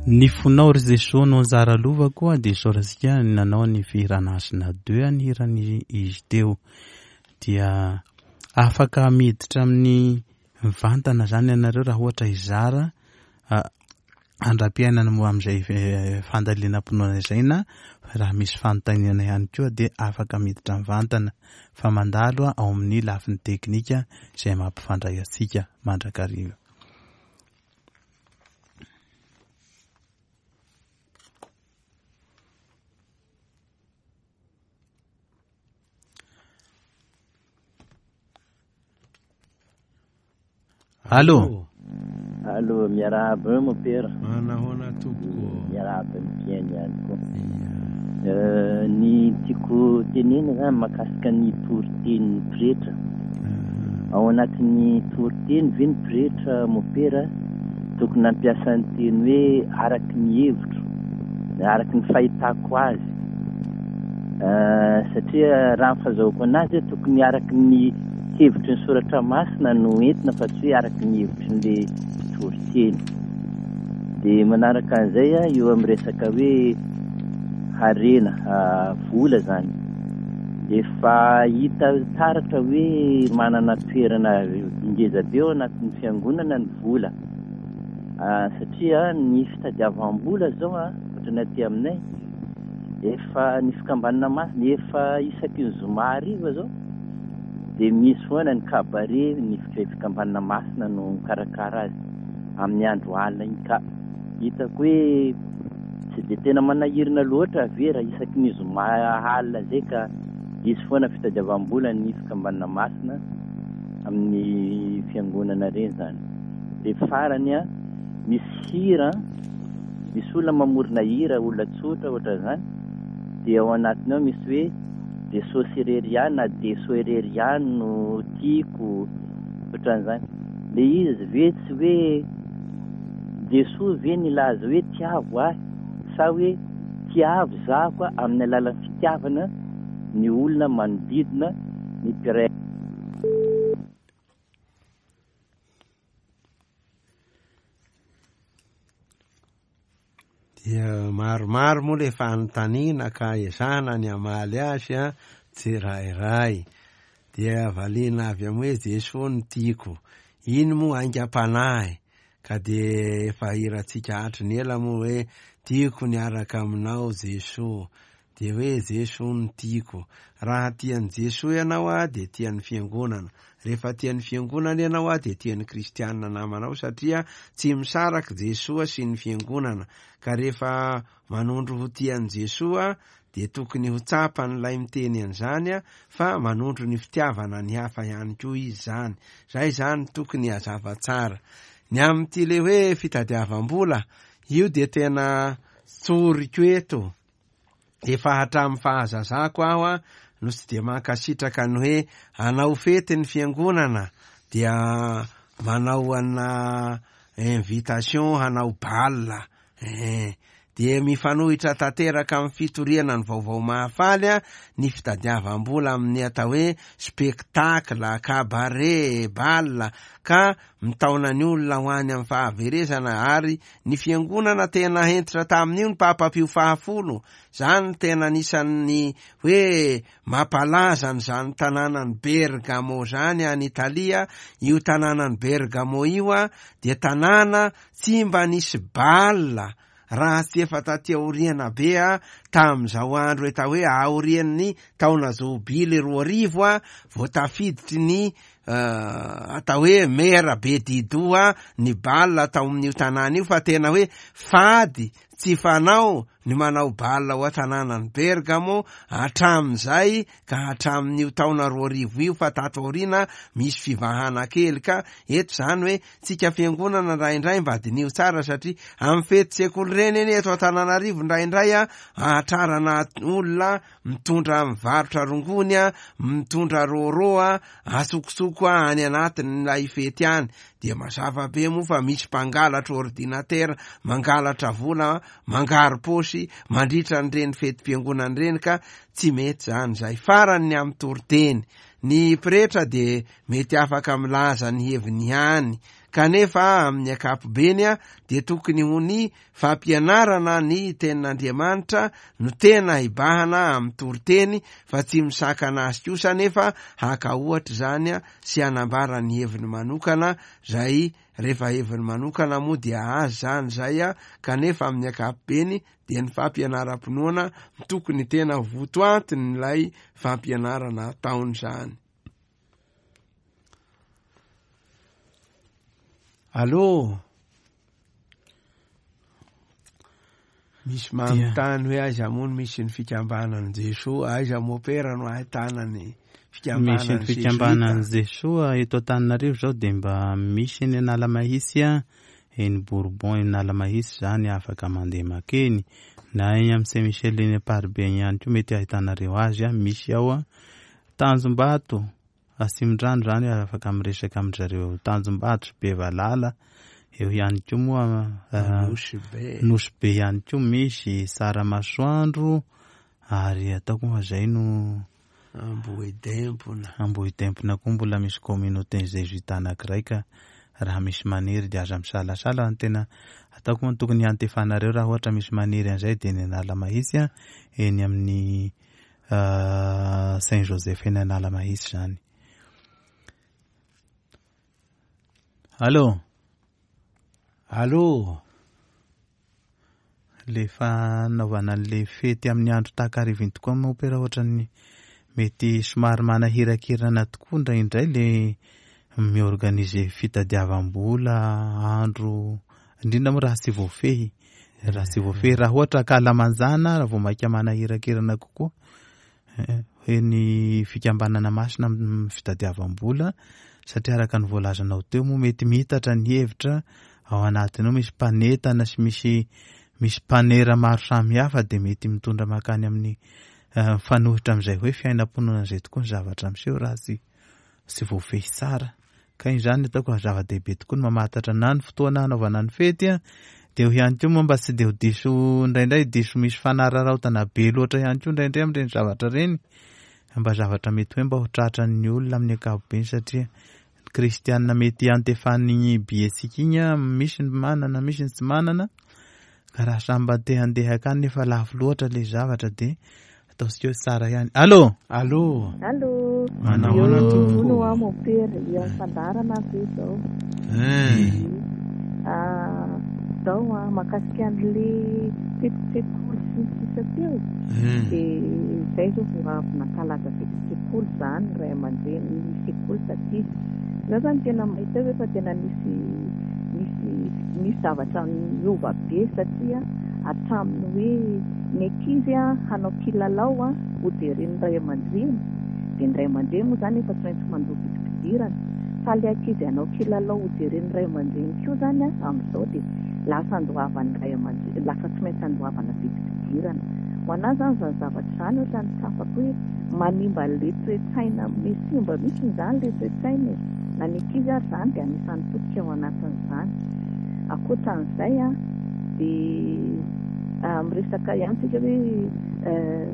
Ny fonao ry Jesoa no anjara lovako dia isaorantsika nanao ny fihirana Hasina deux ny hirany izy teo. Dia afaka miditra amin'ny mivantana zany ianareo raha ohatra hizara andram-piainana moa amin'izay fandalinam-pinoana izay na raha misy fanontaniana ihany koa dia afaka miditra mivantana fa mandalo ao amin'ny lafiny teknika izay mampifandray antsika mandrakariva. Allô. Allô, miarahaba eo mopera. Manahoana tompoko. Miarahaba ny mpihaino ihany koa. Ny tiako tenena zany mahakasika ny toritenin'ny pretra. Ao anatin'ny toriteny ve ny pretra mopera tokony hampiasa ny teny hoe araky ny hevitro, araky ny fahitako azy. Satria raha ny fahazahoako anazy tokony araky ny hevitry ny soratra masina no entina fa tsy hoe araky ny hevitry ny toriteny. Dia manaraka an'izay eo amin'ny resaka hoe harena, vola zany. Efa hita taratra hoe manana toerana ngeza be ao anatin'ny fiangonana ny vola. Satria ny fitadiavam-bola zao ohatran'ny aty aminay efa ny fikambanana masina efa isaky ny zoma hariva zao dia misy foana ny cabaret, ny fikambanana masina no mikarakara azy amin'ny andro alina iny ka hitako hoe tsy dia tena manahirana loatra ve raha isaky ny zoma alina zay ka hisy foana fitadiavam-bola ny fikambanana masina amin'ny fiangonana reny zany. Dia farany a misy hira, misy olona mamorona hira, olona tsotra ohatran'izany, dia ao anatiny ao misy hoe Jesosy irery ihany na Jeso irery ihany no tiako ohatran'izany. Le izy ve tsy hoe Jesoa ve nilaza hoe tiavo ahy sa hoe tiavo zaho amin'ny alalan'ny fitiavana ny olona manodidina ny mpiray. Dia maromaro moa le fanontaniana ka ezahana ny hamaly azy a tsirairay. Dia valiana avy amin'ny hoe Jesoa no tiako. Iny moa aingam-panahy ka dia efa hirantsika hatry ny ela moa hoe tiako niaraka aminao Jesoa. Dia hoe Jesoa no tiako. Raha tian'i Jesoa ianao a dia tian'ny fiangonana. Rehefa tian'ny fiangonana ianao a dia tian'ny kristianina namanao satria tsy misaraka Jesoa sy ny fiangonana. Ka rehefa manondro ho tian'i Jesoa dia tokony ho tsapan'ilay miteny an'izany a fa manondro ny fitiavana ny hafa ihany koa izy zany. Zay zany tokony hazava tsara. Ny amin'ity le hoe fitadiavam-bola io dia tena tsoriko eto. Efa hatramin'ny fahazazako aho a no tsy dia mankasitraka ny hoe hanao fety ny fiangonana dia manao ana invitation hanao bal. Eh, dia mifanohitra tanteraka amin'ny fitoriana ny vaovao mahafaly a ny fitadiavam-bola amin'ny atao hoe spectacle, cabaret, bal ka mitaona ny olona ho any amin'ny fahaverezana. Ary ny fiangonana tena hentitra tamin'io ny Papa Pio fahafolo. Zany tena anisan'ny hoe mampalaza an'izany tanànan'i Bergamo zany any Italia. Io tanànan'i Bergamo io a dia tanàna tsy mba nisy bal raha tsy efa taty aoriana be a tamin'izao andro eta hoe aorian'ny taona jobily roa arivo a vao tafiditry ny atao hoe mera be didoa ny bal tao amin'io tanàna io. Fa tena hoe fady tsy fanao ny manao bal ao an-tanànan'i Bergamo hatramin'izay ka hatramin'io taona roa arivo io. Fa tato aoriana misy fivahana kely ka eto zany hoe tsika fiangonana indraindray mba diniho tsara satria amin'ny fety sekoly reny eny eto Antananarivo indraindray a ahatrarana olona mitondra mivarotra rongony a mitondra rôrô a asokosoko a any anatin'ilay fety any. Dia mazava be moa fa misy mpangalatra ordinatera, mangalatra vola, mangaro paosy mandritra an'ireny fetim-piangonana ireny ka tsy mety zany zay. Farany ny amin'ny toriteny, ny pretra dia mety afaka milaza ny heviny ihany Kanefa amin'ny ankapobeny a dia tokony ho ny fampianarana ny tenin'Andriamanitra no tena hibahana amin'ny toriteny, fa tsy misakana azy kosa nefa haka ohatra izany a sy hanambara ny heviny manokana, zay rehefa heviny manokana moa dia azy zany zay a, kanefa amin'ny ankapobeny dia ny fampianaram-pinoana tokony tena votoantin'ilay fampianarana ataony zany. Allô? Misy manontany hoe aiza moa no misy ny fikambanan'i Jesoa, aiza mopera no ahitana ny Misy ny fikambanan'i Jesoa eto Antananarivo zao dia mba misy eny Analamahitsy a, eny Bourbon eny Analamahitsy zany afaka mandeha makeny, na eny amin'ny Saint Michel eny Amparibe ihany koa mety ahitanareo azy a, misy ao a. Tanjombato Atsimondrano zany afaka miresaka amin-dry zareo Tanjombato sy Bevalala, eo ihany koa moa Nosy Be. Nosy Be ihany koa misy Tsaramasoandro, ary ataoko moa zay no Ambohidempona. Ambohidempona koa mbola misy communauté jésuite anankiray ka raha misy maniry dia aza misalasala. Ny tena ataoko moa tokony hiantefanareo raha ohatra misy maniry an'izay dia eny Analamahitsy a, eny amin'ny Saint Joseph eny Analamahitsy zany. Allô? Allô? Le fanaovana an'le fety amin'ny andro takariviny tokoa moa pera ohatran'ny mety somary manahirakirana tokoa indraindray le miorganiser fitadiavam-bola andro, indrindra moa raha tsy voafehy, raha tsy voafehy, raha ohatra kalamanjana raha vao maika manahirakirana kokoa. Hoe ny fikambanana masina amin'ny fitadiavam-bola, satria araka ny voalazanao teo moa mety miitatra ny hevitra ao anatiny ao, misy mpanetana sy misy, misy mpanera maro samihafa dia mety mitondra mankany amin'ny mifanohitra amin'izay hoe fiainam-pinoana izay tokoa ny zavatra miseho raha tsy, tsy voafehy tsara. Ka iny zany ataoko fa zava-dehibe tokoa ny mamantatra na ny fotoana hanaovana ny fety a, dia eo ihany koa moa mba tsy dia ho diso indraindray, diso misy fanararaotana be loatra ihany koa indraindray amin'ireny zavatra ireny, mba zavatra mety hoe mba ho tratran'ny olona amin'ny ankapobeny, satria ny kristianina mety hiantefan'iny bietsika iny a, misy ny manana, misy ny tsy manana, ka raha samy mba te handeha akany nefa lafo loatra ilay zavatra dia ataontsika hoe tsara ihany. Allô? Allô? Allô? Manahoana Eo tompoko? no aho mopera, eo amin'ny fandaharana aho ve zao? Eh. Ah, zao a, mahakasika an'le fetin-tsekoly sy ny sisa teo. Eh. Dia zay zao vao avy nankalaza fetin-tsekoly zany ray aman-dreny ny sekoly taty. Za zany tena mahita hoe efa tena nisy, nisy, nisy zavatra niova be, satria hatramin'ny hoe ny ankizy a hanao kilalao a ho jeren'ny ray aman-dreny, dia ny ray aman-dreny moa zany efa tsy maintsy mandoa vidim-pidirana, fa ilay ankizy hanao kilalao ho jeren'ny ray aman-dreny koa zany a amin'izao dia lasa andoavan'ny ray aman-dreny, lasa tsy maintsy andoavana vidim-pidirana. Ho anahy zany izany zavatra izany ohatran'ny tsapako hoe manimba an'ilay toe-tsaina, misimba mihitsy izany ilay toe-tsaina e. Na ny ankizy ary izany dia anisan'ny potika ao anatin'izany. Ankoatran'izay a, dia miresaka ihany tsika hoe, eh,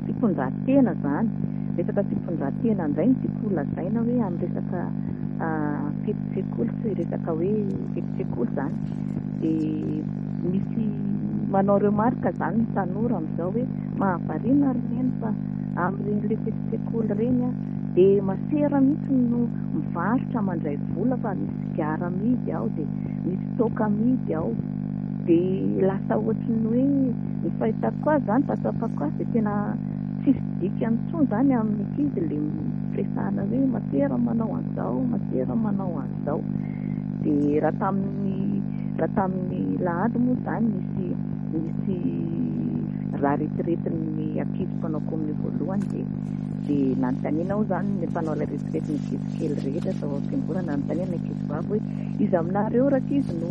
fitondran-tena zany. Resaka fitondran-tena indray no tiako holazaina hoe amin'ny resaka, ah, fetin-tsekoly, tsy resaka hoe fetin-tsekoly zany. Dia misy manao remarque zany ny tanora amin'izao hoe mahavariana ry neny fa amin'ireny le fetin-tsekoly ireny a, dia masera mihitsy no mivarotra mandray vola fa misy sigara amidy ao, dia misy toaka amidy ao. Dia lasa ohatran'ny hoe ny fahitako azy zany, fahatsapako azy dia tena tsisy dikany intsony zany amin'ny ankizy le firesahana hoe masera manao an'izao, masera manao an'izao. Dia raha tamin'ny, raha tamin'ny lahady moa zany nisy, nisy raha retiretin'ny ankizy mpanao kominio voalohany, dia, dia nanontaniana aho zany ny mpanao ilay retiretin'ny ankizy kely rehetra tao am-piangonana, nanontaniana ny ankizy vavy hoe iza aminareo rankizy no,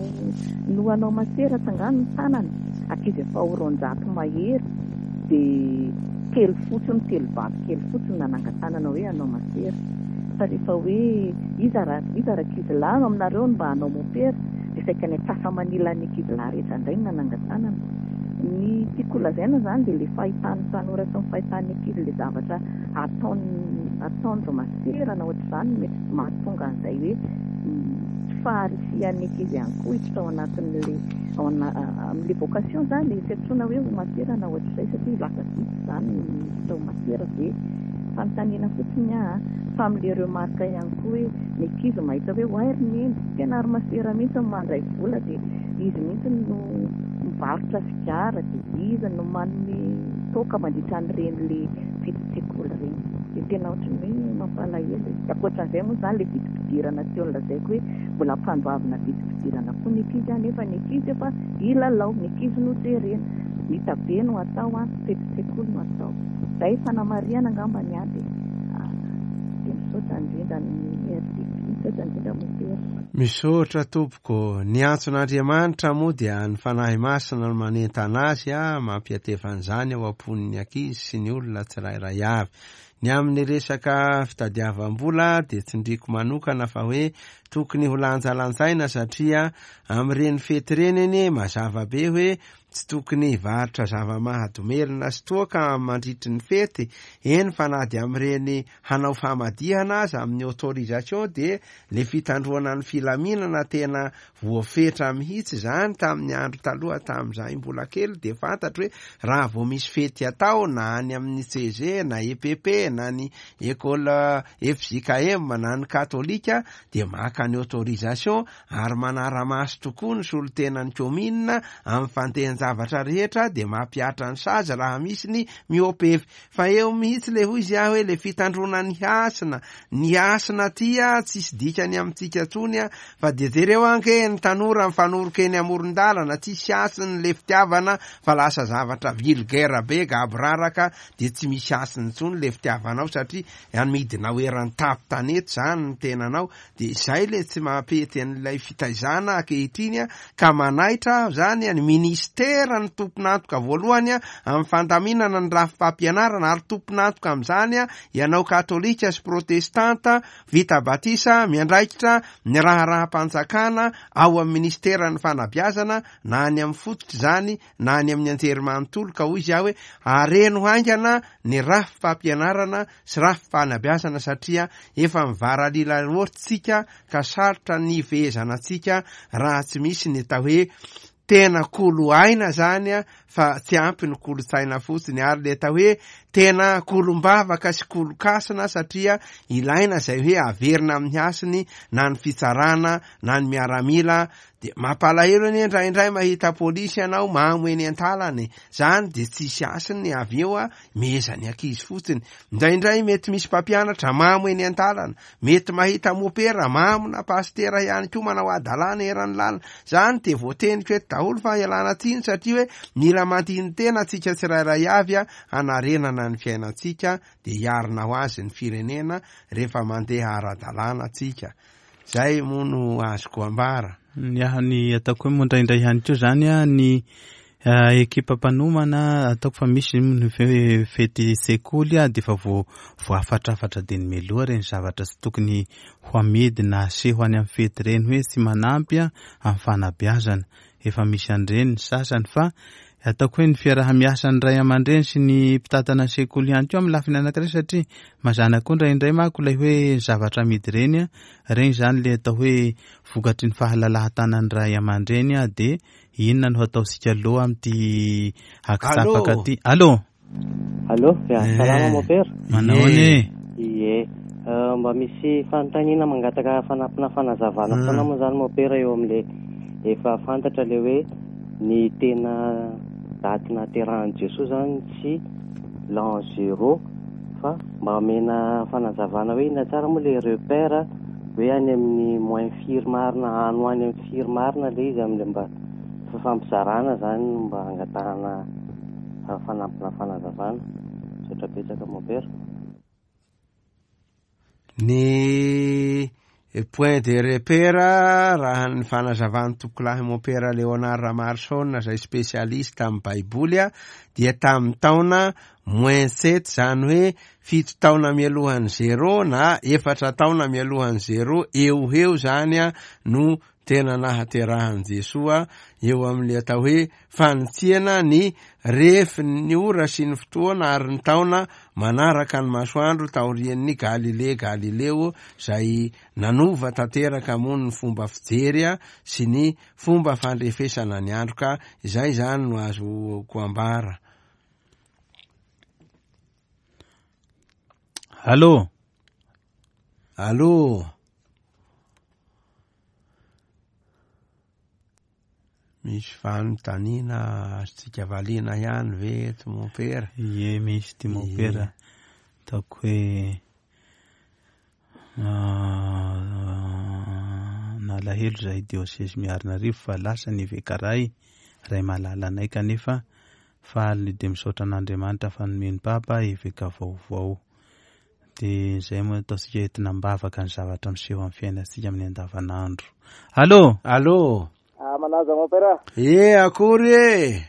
no hanao masera tsangano ny tanana, ankizy efa ho roanjato mahery, dia telo fotsiny, telo vavy kely fotsiny nanangan-tanana hoe hanao masera. Fa rehefa hoe iza ra-, iza rankizy lahy aminareo no mba hanao mopera, dia saika ny antsasa-manilan'ny ankizy lahy rehetra indray no nanangan-tanana. Ny tiako holazaina zany dia ilay fahitan'ny tanora sy ny fahitan'ny ankizy ilay zavatra ataony, ataon'ireo masera na ohatr'izany mety mahatonga an'izay hoe tsy faharisihan'ny ankizy ihany koa hiditra ao anatin'le ao ana- amin'le vocation zany, tsy antsoina hoe ho masera na ohatr'izay, satria lasa vitsy zany ny miditra ho masera. Dia fanontaniana fotsiny aho, fa amin'le remarque ihany koa hoe ny ankizy mahita hoe oay ry neny, tena ary masera mihitsy no mandray vola, dia izy mihitsy no mivarotra sigara, dia izy no manome toaka mandritra an'ireny le fetin-tsekoly ireny. Dia tena ohatran'ny hoe mampalahelo. Ankoatran'izay moa zany le vidim-pidirana teo nolazaiko hoe mbola ampandoavina vidim-pidirana koa ny ankizy, nefa ny ankizy efa hilalao, ny ankizy no jerena, ny tabe no atao, a fetin-tsekoly no atao. Izay fanamarihana angamba ny ahy. Dia dia misaotra indrindra ny R D P, misaotra indrindra mopera. Misaotra tompoko. Ny antson'Andriamanitra moa dia ny Fanahy Masina no manentana azy a mampiatefan'izany ao am-pon'ny ankizy sy ny olona tsirairay avy. Ny amin'ny resaka fitadiavam-bola dia tsindriko manokana fa hoe tokony ho lanjalanjaina, satria amin'ireny fety ireny anie mazava be hoe tsy tokony hivarotra zava-mahadomelina sy toaka mandritry ny fety, eny fa na dia amin'ireny hanao famadihana aza amin'ny autorisation dia le fitandroana ny filaminana tena voafetra mihitsy zany. Tamin'ny andro taloha tamin'izahay mbola kely dia fantatro hoe raha vao misy fety atao na any amin'ny C G na E P P na ny école F J K M na ny katolika dia maka ny autorisation ary manara-maso tokoa ny solontenan'ny commune amin'ny fandehan-javatra rehetra, dia mampihatra ny sazy raha misy ny miopefy. Fa eo mihitsy le hoy izy aho hoe le fitandroana ny hasina, ny hasina ty a tsisy dikany amintsika intsony a, fa dia jereo anke ny tanora mifanoroka eny amoron-dalana, tsisy hasiny le fitiavana fa lasa zavatra vulgaire be gaboraraka, dia tsy misy hasiny intsony le fitiavanao satria amidinao eran'ny tapo-tanety zany ny tenanao. Dia izay le tsy mampety an'ilay fitaizana ankehitriny a, ka manaitra zany ny ministera ny tompon'antoka voalohany a amin'ny fandaminana ny rafi-pampianarana, ary tompon'antoka amin'izany a ianao katolika sy protestanta vita batisa miandraikitra ny raharaham-panjakana ao amin'ny ministeran'ny fanabeazana na any amin'ny fototra izany na any amin'ny anjerimanontolo. Ka hoy izy aho hoe areno haingana ny rafi-pampianarana sy rafi-panabeazana satria efa mivaralila loatra ka sarotra ny fehezana antsika raha tsy misy ny atao hoe tena kolo aina zany a, fa tsy ampy ny kolontsaina fotsiny, ary le atao hoe tena kolombavaka sy kolokasina satria ilaina izay hoe averina amin'ny hasiny na ny fitsarana na ny miaramila. Dia mampalahelo anie indraindray mahita polisy ianao mamo eny an-talany zany, dia tsisy hasiny avy eo a mehezany ankizy fotsiny. Indraindray mety misy mpampianatra mamo eny an-talana, mety mahita mopera mamo na pastera ihany koa manao adalàna eran'ny lalana zany, dia voateniko eto daholo fa ialana tsiny satria hoe mila mandini-tena antsika tsirairay avy a hanarenana ny fiainantsika, dia hiarina ho azy ny firenena rehefa mandeha ara-dalàna antsika. Zay moa no azoko ambara. Ny ahy ny ataoko hoe moa indraindray ihany koa zany a ny ekipa mpanomana ataoko fa misy ny fety sekoly a dia efa vo voafatrafatra dia ny meloha ireny zavatra tsy tokony ho amidy na aseho any amin'ny fety ireny hoe tsy manampy a amin'ny fanabeazana. Efa misy an'ireny ny sasany, fa ataoko hoe ny fiaraha-miasan'ny ray aman-dreny sy ny mpitantana sekoly ihany koa amin'ny lafiny anankiray, satria mazàna koa indraindray manko ilay hoe zavatra amidy ireny a, ireny zany le atao hoe vokatry ny fahalalahan-tanan'ny ray aman-dreny a, dia inona no hataontsika aloha amin'ity akitsapaka ity? Allô? Allô, ya, salama mopera. Manao ahoana e? Ie, mba misy fanontaniana mangataka fanampina fanazavana foana moa zany mopera eo amin'le efa fantatra le hoe ny tena daty nahaterahan'i Jesoa zany tsy l'an zéro, fa mba omena fanazavana hoe inona tsara moa le repère hoe any amin'ny moins firy marina, any ho any amin'ny firy marina le izy amin'le mba fifampizarana zany mba hangatahana fanampina fanazavana. Misaotra betsaka mopera. Ny point de repère raha ny fanazavan'ny tompokolahy mopera Léonard Ramarson izay spécialiste amin'ny Baiboly a, dia tamin'ny taona moins sept, zany hoe fito taona mialohan'ny zéro na efatra taona mialohan'ny zéro eo ho eo zany a no tena nahaterahan'i Jesoa eo amin'ilay atao hoe fanitsiana ny refin'ny ora sy ny fotoana ary ny taona manaraka ny masoandro taorian'ny Galilée Galileo izay nanova tanteraka moa ny fomba fijery sy ny fomba fandrefesana ny andro, ka izay zany no azoko ambara. Allô? Allô? Misy fanontaniana azontsika valiana ihany ve eto mompera? Ie, misy ty mompera. Ataoko hoe nalahelo zahay diosesy Miarinarivo fa lasa ny eveka ray, ray malala anay, kanefa faly dia misaotra an'Andriamanitra fa nomeny Papa eveka vaovao. Dia izay moa ataontsika entina am-bavaka ny zavatra miseho amin'ny fiainantsika amin'ny andavanandro. Allô? Allô? Ah, manaza mompera. E, akory e.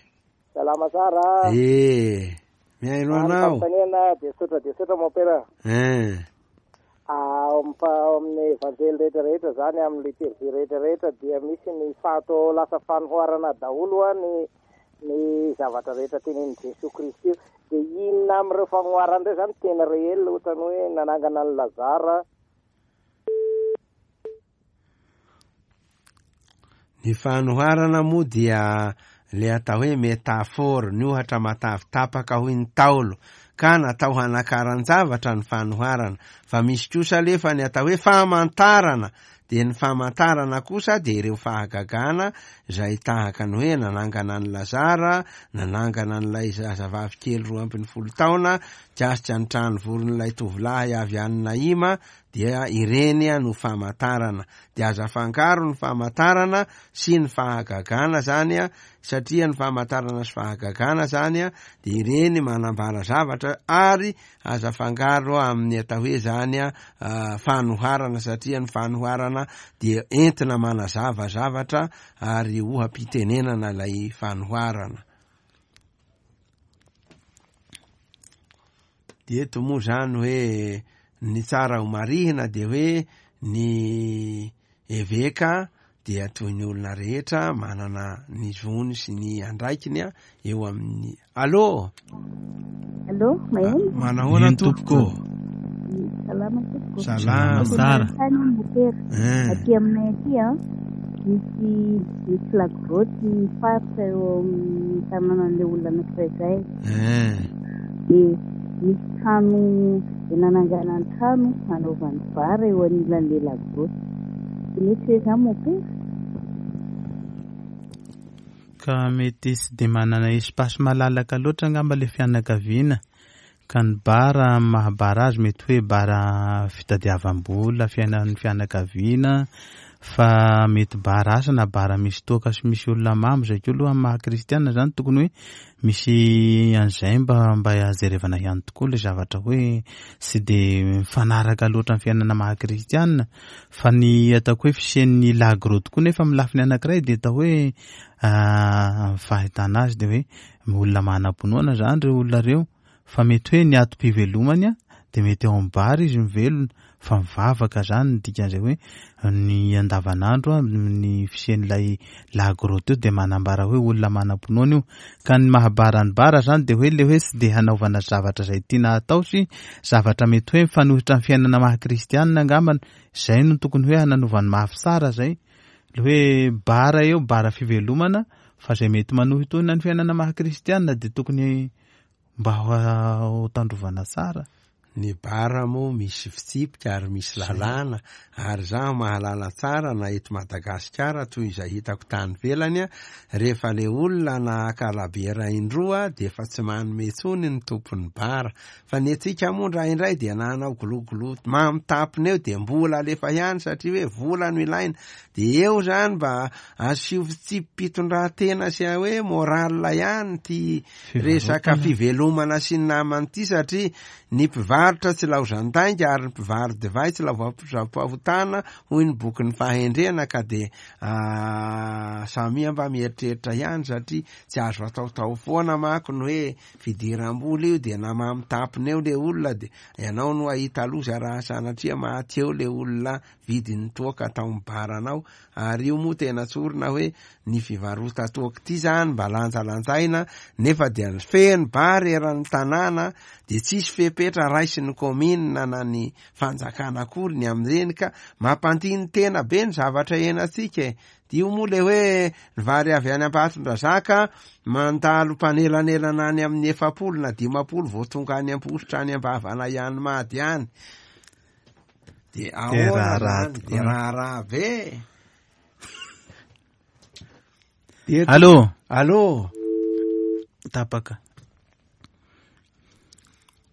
Salama tsara. E, mihaino anao. Fanontaniana dia tsotra dia tsotra mompera. Eh. Ah, ao amin'ny evanjely rehetra rehetra zany, amin'ny liturgie rehetra rehetra dia misy ny fato lasa fanoharana daholo a ny ny zavatra rehetra tenenin'i Jesoa Kristy. Dia inona amin'ireo fanoharana ireo zany tena réel, ohatrany hoe nanangana an'i Lazara? Ny fanoharana moa dia le atao hoe métaphore, ny ohatra matavy tapaka hoy ny Ntaolo, ka natao hanakaran-javatra ny fanoharana. Fa misy kosa alefa ny atao hoe famantarana, dia ny famantarana kosa dia ireo fahagagana izay tahaka ny hoe nanangana an'i Lazara, nanangana an'ilay zazavavy kely roa ambin'ny folo taona, kasika ny trano voron'ilay tovolahy avy any Naima, dia ireny no famantarana. Dia aza afangaro ny famantarana sy ny fahagagana zany a, satria ny famantarana sy fahagagana zany a dia ireny manambara zavatra, ary aza afangaro amin'ny atao hoe zany a fanoharana, satria ny fanoharana dia entina manazava zavatra ary oha-pitenenana ilay fanoharana. Dia eto moa zany hoe ny tsara ho marihina dia hoe ny eveka dia toy ny olona rehetra manana ny zony sy ny andraikiny eo amin'ny. Allô? Allô, maheno? Manahoana tompoko? Salama tompoko. Salama tsara. Aty aminay aty a, misy misy lagroty mifaritra eo amin'ny tanànan'ilay olona anankiray izay. Dia misy trano nanangana ny trano hanaovany bara eo anilan'ilay lagroty. Mety hoe izany mompera? Ka mety tsy dia manana espace malalaka loatra angamba ilay fianakaviana, ka ny bara mahabara azy mety hoe bara fitadiavam-bola fiainan'ny fianakaviana, fa mety bara asa na bara misy toaka sy misy olona mamo zay koa aloha amin'ny maha kristiana zany tokony hoe misy an'izay mba mba jerevana ihany tokoa ilay zavatra hoe tsy dia mifanaraka loatra amin'ny fiainana maha kristiana. Fa ny ataoko hoe fisian'ny lagro tokoa nefa amin'ny lafiny anankiray dia atao hoe fahitana azy dia hoe olona manam-pinoana zany ireo olona ireo, fa mety hoe ny atom-pivelomany a dia mety ao amin'ny bara izy mivelona, fa mivavaka zany ny dikan'izay hoe ny andavanandro ny fisian'ilay lagro teo dia manambara hoe olona manam-pinoana io. Ka ny mahabara ny bara zany dia hoe le hoe tsy dia hanaovana zavatra izay tiana atao sy zavatra mety hoe mifanohitra amin'ny fiainana maha kristianina angambany, izay no tokony hoe hanaovany mafy tsara zay le hoe bara eo, bara fivelomana, fa izay mety manohitohina ny fiainana maha kristianina dia tokony mba ho tandrovana tsara. Ny bara moa misy fitsipika ary misy lalàna, ary zaho mahalala tsara na eto Madagasikara toy izay hitako tany ivelany, rehefa le olona naka labiera indroa dia efa tsy manome intsony ny tompon'ny bara. Fa ny antsika moa indraindray dia nanao gologolo mamy tampony eo dia mbola alefa ihany satria hoe vola no ilaina. Dia eo zany mba asio fitsipi-pitondran-tena sy hoe moral ihany ty resaka fivelomana sy ny namany ty, satria ny mpivarotra mpivarotra tsy laozan-dainga ary ny mpivaro-divay tsy laozam-pahotana, hoy ny bokin'ny fahendrena. Ka de samia mba mieritreritra ihany, satria tsy azo ataotao foana manko ny hoe fidiram-bola io, de na mamy tampona eo le olona de ianao no ahita loza raha sanatria maty eo le olona vidin'ny toaka atao amin'ny baranao. Ary io moa tena tsorina hoe ny fivarota toaka ity zany mba lanjalanjaina, nefa dia feno bary eran'ny tanàna, de tsisy fepetra raisin'ny komina na ny fanjakana akory ny amin'ireny, ka mampandiny tena be ny zavatra iainantsika e. Io moa le hoe ny vary avy any Ambatondrazaka mandalo mpanelanelana any amin'ny efapolo na dimapolo vao tonga any Ampositra any Ambavana ihany Mady any. De ahoana zany? De raharaha be. Allô? Allô? Tapaka.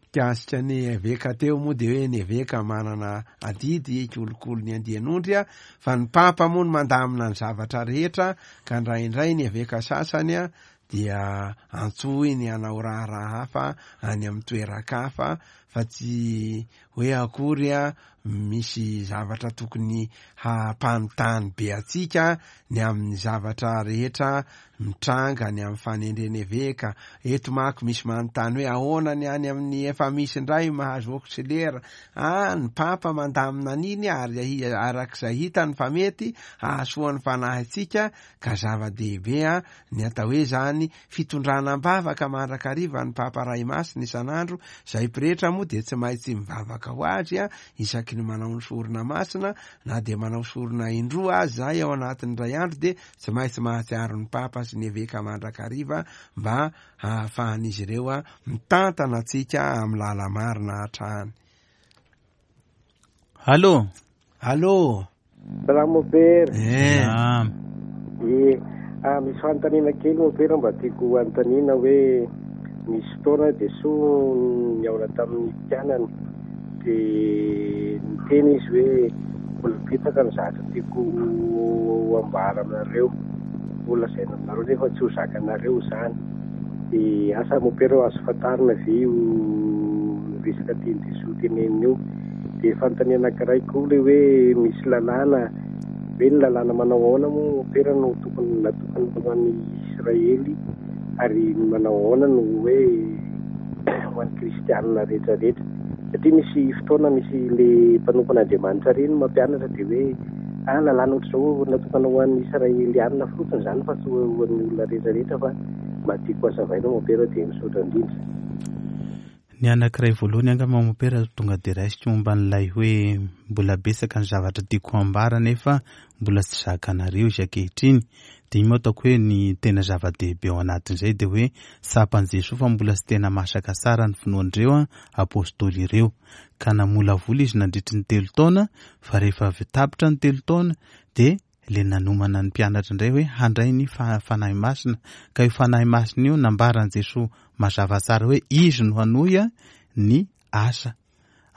Mikasika ny eveka teo moa de hoe ny eveka manana adidy hikolokolo ny andian'ondry a, fa ny papa moa no mandamina ny zavatra rehetra, ka indraindray ny eveka sasany a dia antsoiny hanao raharaha hafa any amin'ny toeran-kafa, fa tsy hoe akory a misy zavatra tokony hampanontany be antsika ny amin'ny zavatra rehetra mitranga ny amin'ny fanendrena eveka. Eto manko misy manontany hoe ahoana ny any amin'ny efa misy indray mahazo auxiliaire. Ah, ny papa mandamina an'iny ary arak'izay hitany fa mety hahasoa ny fanahintsika, ka zava-dehibe a ny atao hoe zany fitondrana am-bavaka mandrakariva ny papa ray masina isan'andro. Izay pretra moa dia tsy maintsy mivavaka ho azy a isaky ny manao ny sorona masina, na dia manao sorona indroa azy zay ao anatin'ny iray andro, dia tsy maintsy mahatsiaro ny papa sy ny eveka mandrakariva mba hahafahan'izy ireo a mitantana antsika amin'ny lala-marina hatrany. Allô? Allô? Salama mopera. Eh. Eh, ah, misy fanontaniana kely mopera mba tiako hanontaniana hoe misy fotoana Jesoa nihaona tamin'ny mpianany dia niteny izy hoe mbola betsaka ny zavatra tiako ambara aminareo, mbola lazaina aminareo nefa tsy ho zakanareo izany. Dia asa mopera azo fantarina ve io resaka tian'i Jesoa tenenina io? Dia fanontaniana anankiray koa ilay hoe misy lalàna, hoe ny lalàna manao ahoana moa mopera no tokony natokana ho an'ny Israely, ary manao ahoana no hoe ho an'ny kristianina rehetrarehetra? Satria misy fotoana misy le mpanompon'Andriamanitra ireny mampianatra dia hoe ah, lalàna ohatr'izao natokana ho an'ny Israelianina fotsiny izany fa tsy ho an'ny olona rehetrarehetra, fa mba tiako hazavaina mopera dia misaotra indrindra. Ny anankiray voalohany angamba mopera tonga dia raisiko momba an'ilay hoe mbola betsaka ny zavatra tiako ambara nefa mbola tsy zakanareo izy ankehitriny. Dia iny moa ataoko hoe ny tena zava-dehibe ao anatin'izay dia hoe tsapan'i Jesoa fa mbola tsy tena masaka tsara ny finoan'ireo apôstôly ireo. Ka namolavola izy nandritry ny telo taona, fa rehefa avy tapitra ny telo taona dia le nanomana ny mpianatra indray hoe handray ny fanahy masina. Ka io fanahy masina io nambaran'i Jesoa mazava tsara hoe izy no hanohy ny asa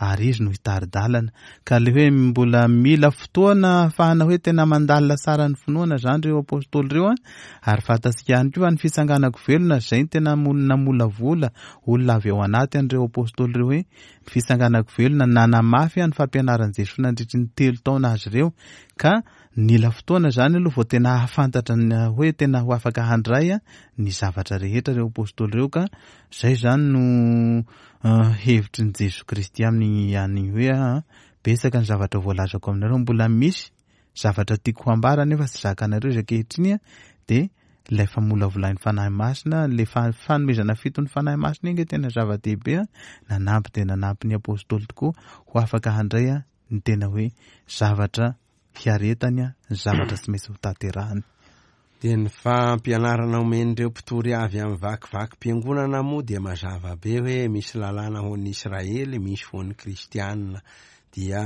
ary izy no hitari-dalana. Ka le hoe mbola mila fotoana ahafahana hoe tena mandalina tsara ny finoana zany ireo apôstôly ireo a. Ary fantatsika ihany koa fa ny fitsanganako velona izay no tena namolavola olona avy ao anaty an'ireo apôstôly ireo hoe ny fitsanganako velona nanamafy ny fampianaran'i Jesoa nandritry ny telo taona azy ireo. Ka nila fotoana zany aloha vao tena hahafantatra ny hoe tena ho afaka handray ny zavatra rehetra ireo apôstôly ireo. Ka zay zany no hevitry ny Jesoa Kristy amin'ny any hoe betsaka ny zavatra voalazako aminareo, mbola misy zavatra tiako hambara nefa tsy zakanareo izy ankehitriny. Dia ilay famolavolain'ny fanahy masina, ilay fanomezana fito ny fanahy masina iny tena zava-dehibe, nanampy dia nanampy ny apôstôly tokoa ho afaka handray ny tena hoe zavatra hiaretany, ny zavatra tsy maintsy ho tanterahany. Dia ny fampianarana omen'ireo mpitory avy amin'ny vakivakim-piangonana moa dia mazava be hoe misy lalàna ho an'ny Israely, misy ho an'ny kristianina. Dia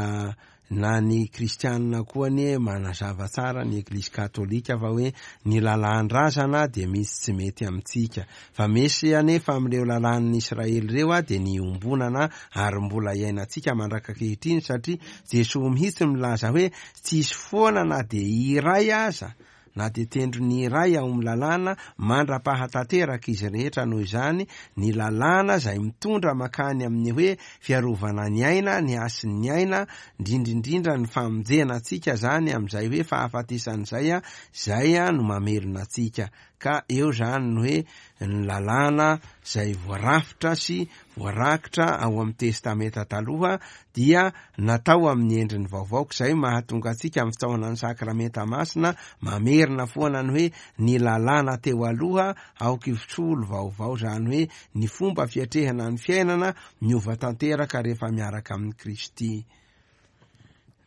na ny kristianina koa anie manazava tsara ny Eglizy katolika fa hoe ny lalàn-drazana dia misy tsy mety amintsika, fa misy anefa amin'ireo lalàn'ny Israely ireo a dia niombonana ary mbola iainantsika mandraka ankehitriny, satria Jesoa mihitsy milaza hoe tsisy foana na dia iray aza na dia tendrony iray ao amin'ny lalàna mandra-pahatanteraka izy rehetra. Noho izany ny lalàna izay mitondra makany amin'ny hoe fiarovana ny aina, ny hasin'ny aina, indrindrindrindra ny famonjena antsika zany amin'izay hoe fahafatesan'izay a, zay a no mamelona antsika. Ka eo zany ny hoe ny lalàna izay voarafitra sy voarakitra ao amin'ny Testamenta taloha dia natao amin'ny endriny vaovao, izay mahatonga antsika amin'ny fitaovana ny sakramenta masina mamerina foana ny hoe ny lalàna teo aloha aoka hisolo vaovao, zany hoe ny fomba fiatrehana ny fiainana miova tanteraka rehefa miaraka amin'i Kristy.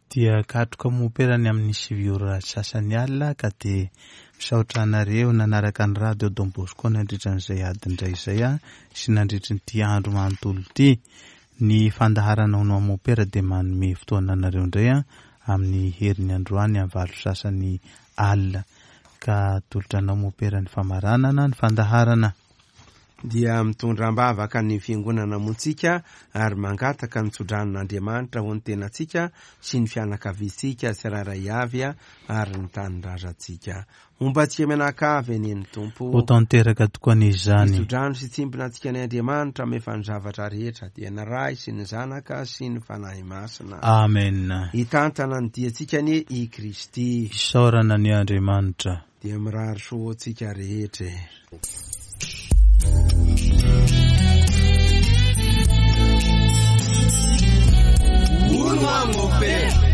Dia katroka mopera ny amin'ny sivy ora sasany alina, ka dia misaotra anareo nanaraka ny radio Don Bosco nandritra an'izay adin-dray izay a, sy nandritra ity andro manontolo ity. Ny fandaharana ho anao mopera dia manome fotoana anareo indray a, amin'ny heriny androany amin'ny valo sasany alina, ka atolotra anao mopera ny famaranana ny fandaharana. Dia mitondra am-bavaka ny fiangonana montsika ary mangataka ny tsodranon'Andriamanitra ho ny tenantsika sy ny fianakaviantsika tsirairay avy ary ny tanindrazantsika. Homba antsika mianakavy anie ny Tompo. Ho tanteraka tokoa anie izany. Ny tsodrano sy tsimbina antsika ny Andriamanitra amefa ny zavatra rehetra, dia ny Ray sy ny Zanaka sy ny Fanahy Masina. Amen. Hitantana ny diantsika anie i Kristy. Isaorana ny Andriamanitra. Dia mirary soa ho antsika rehetra. Hono aho mopera.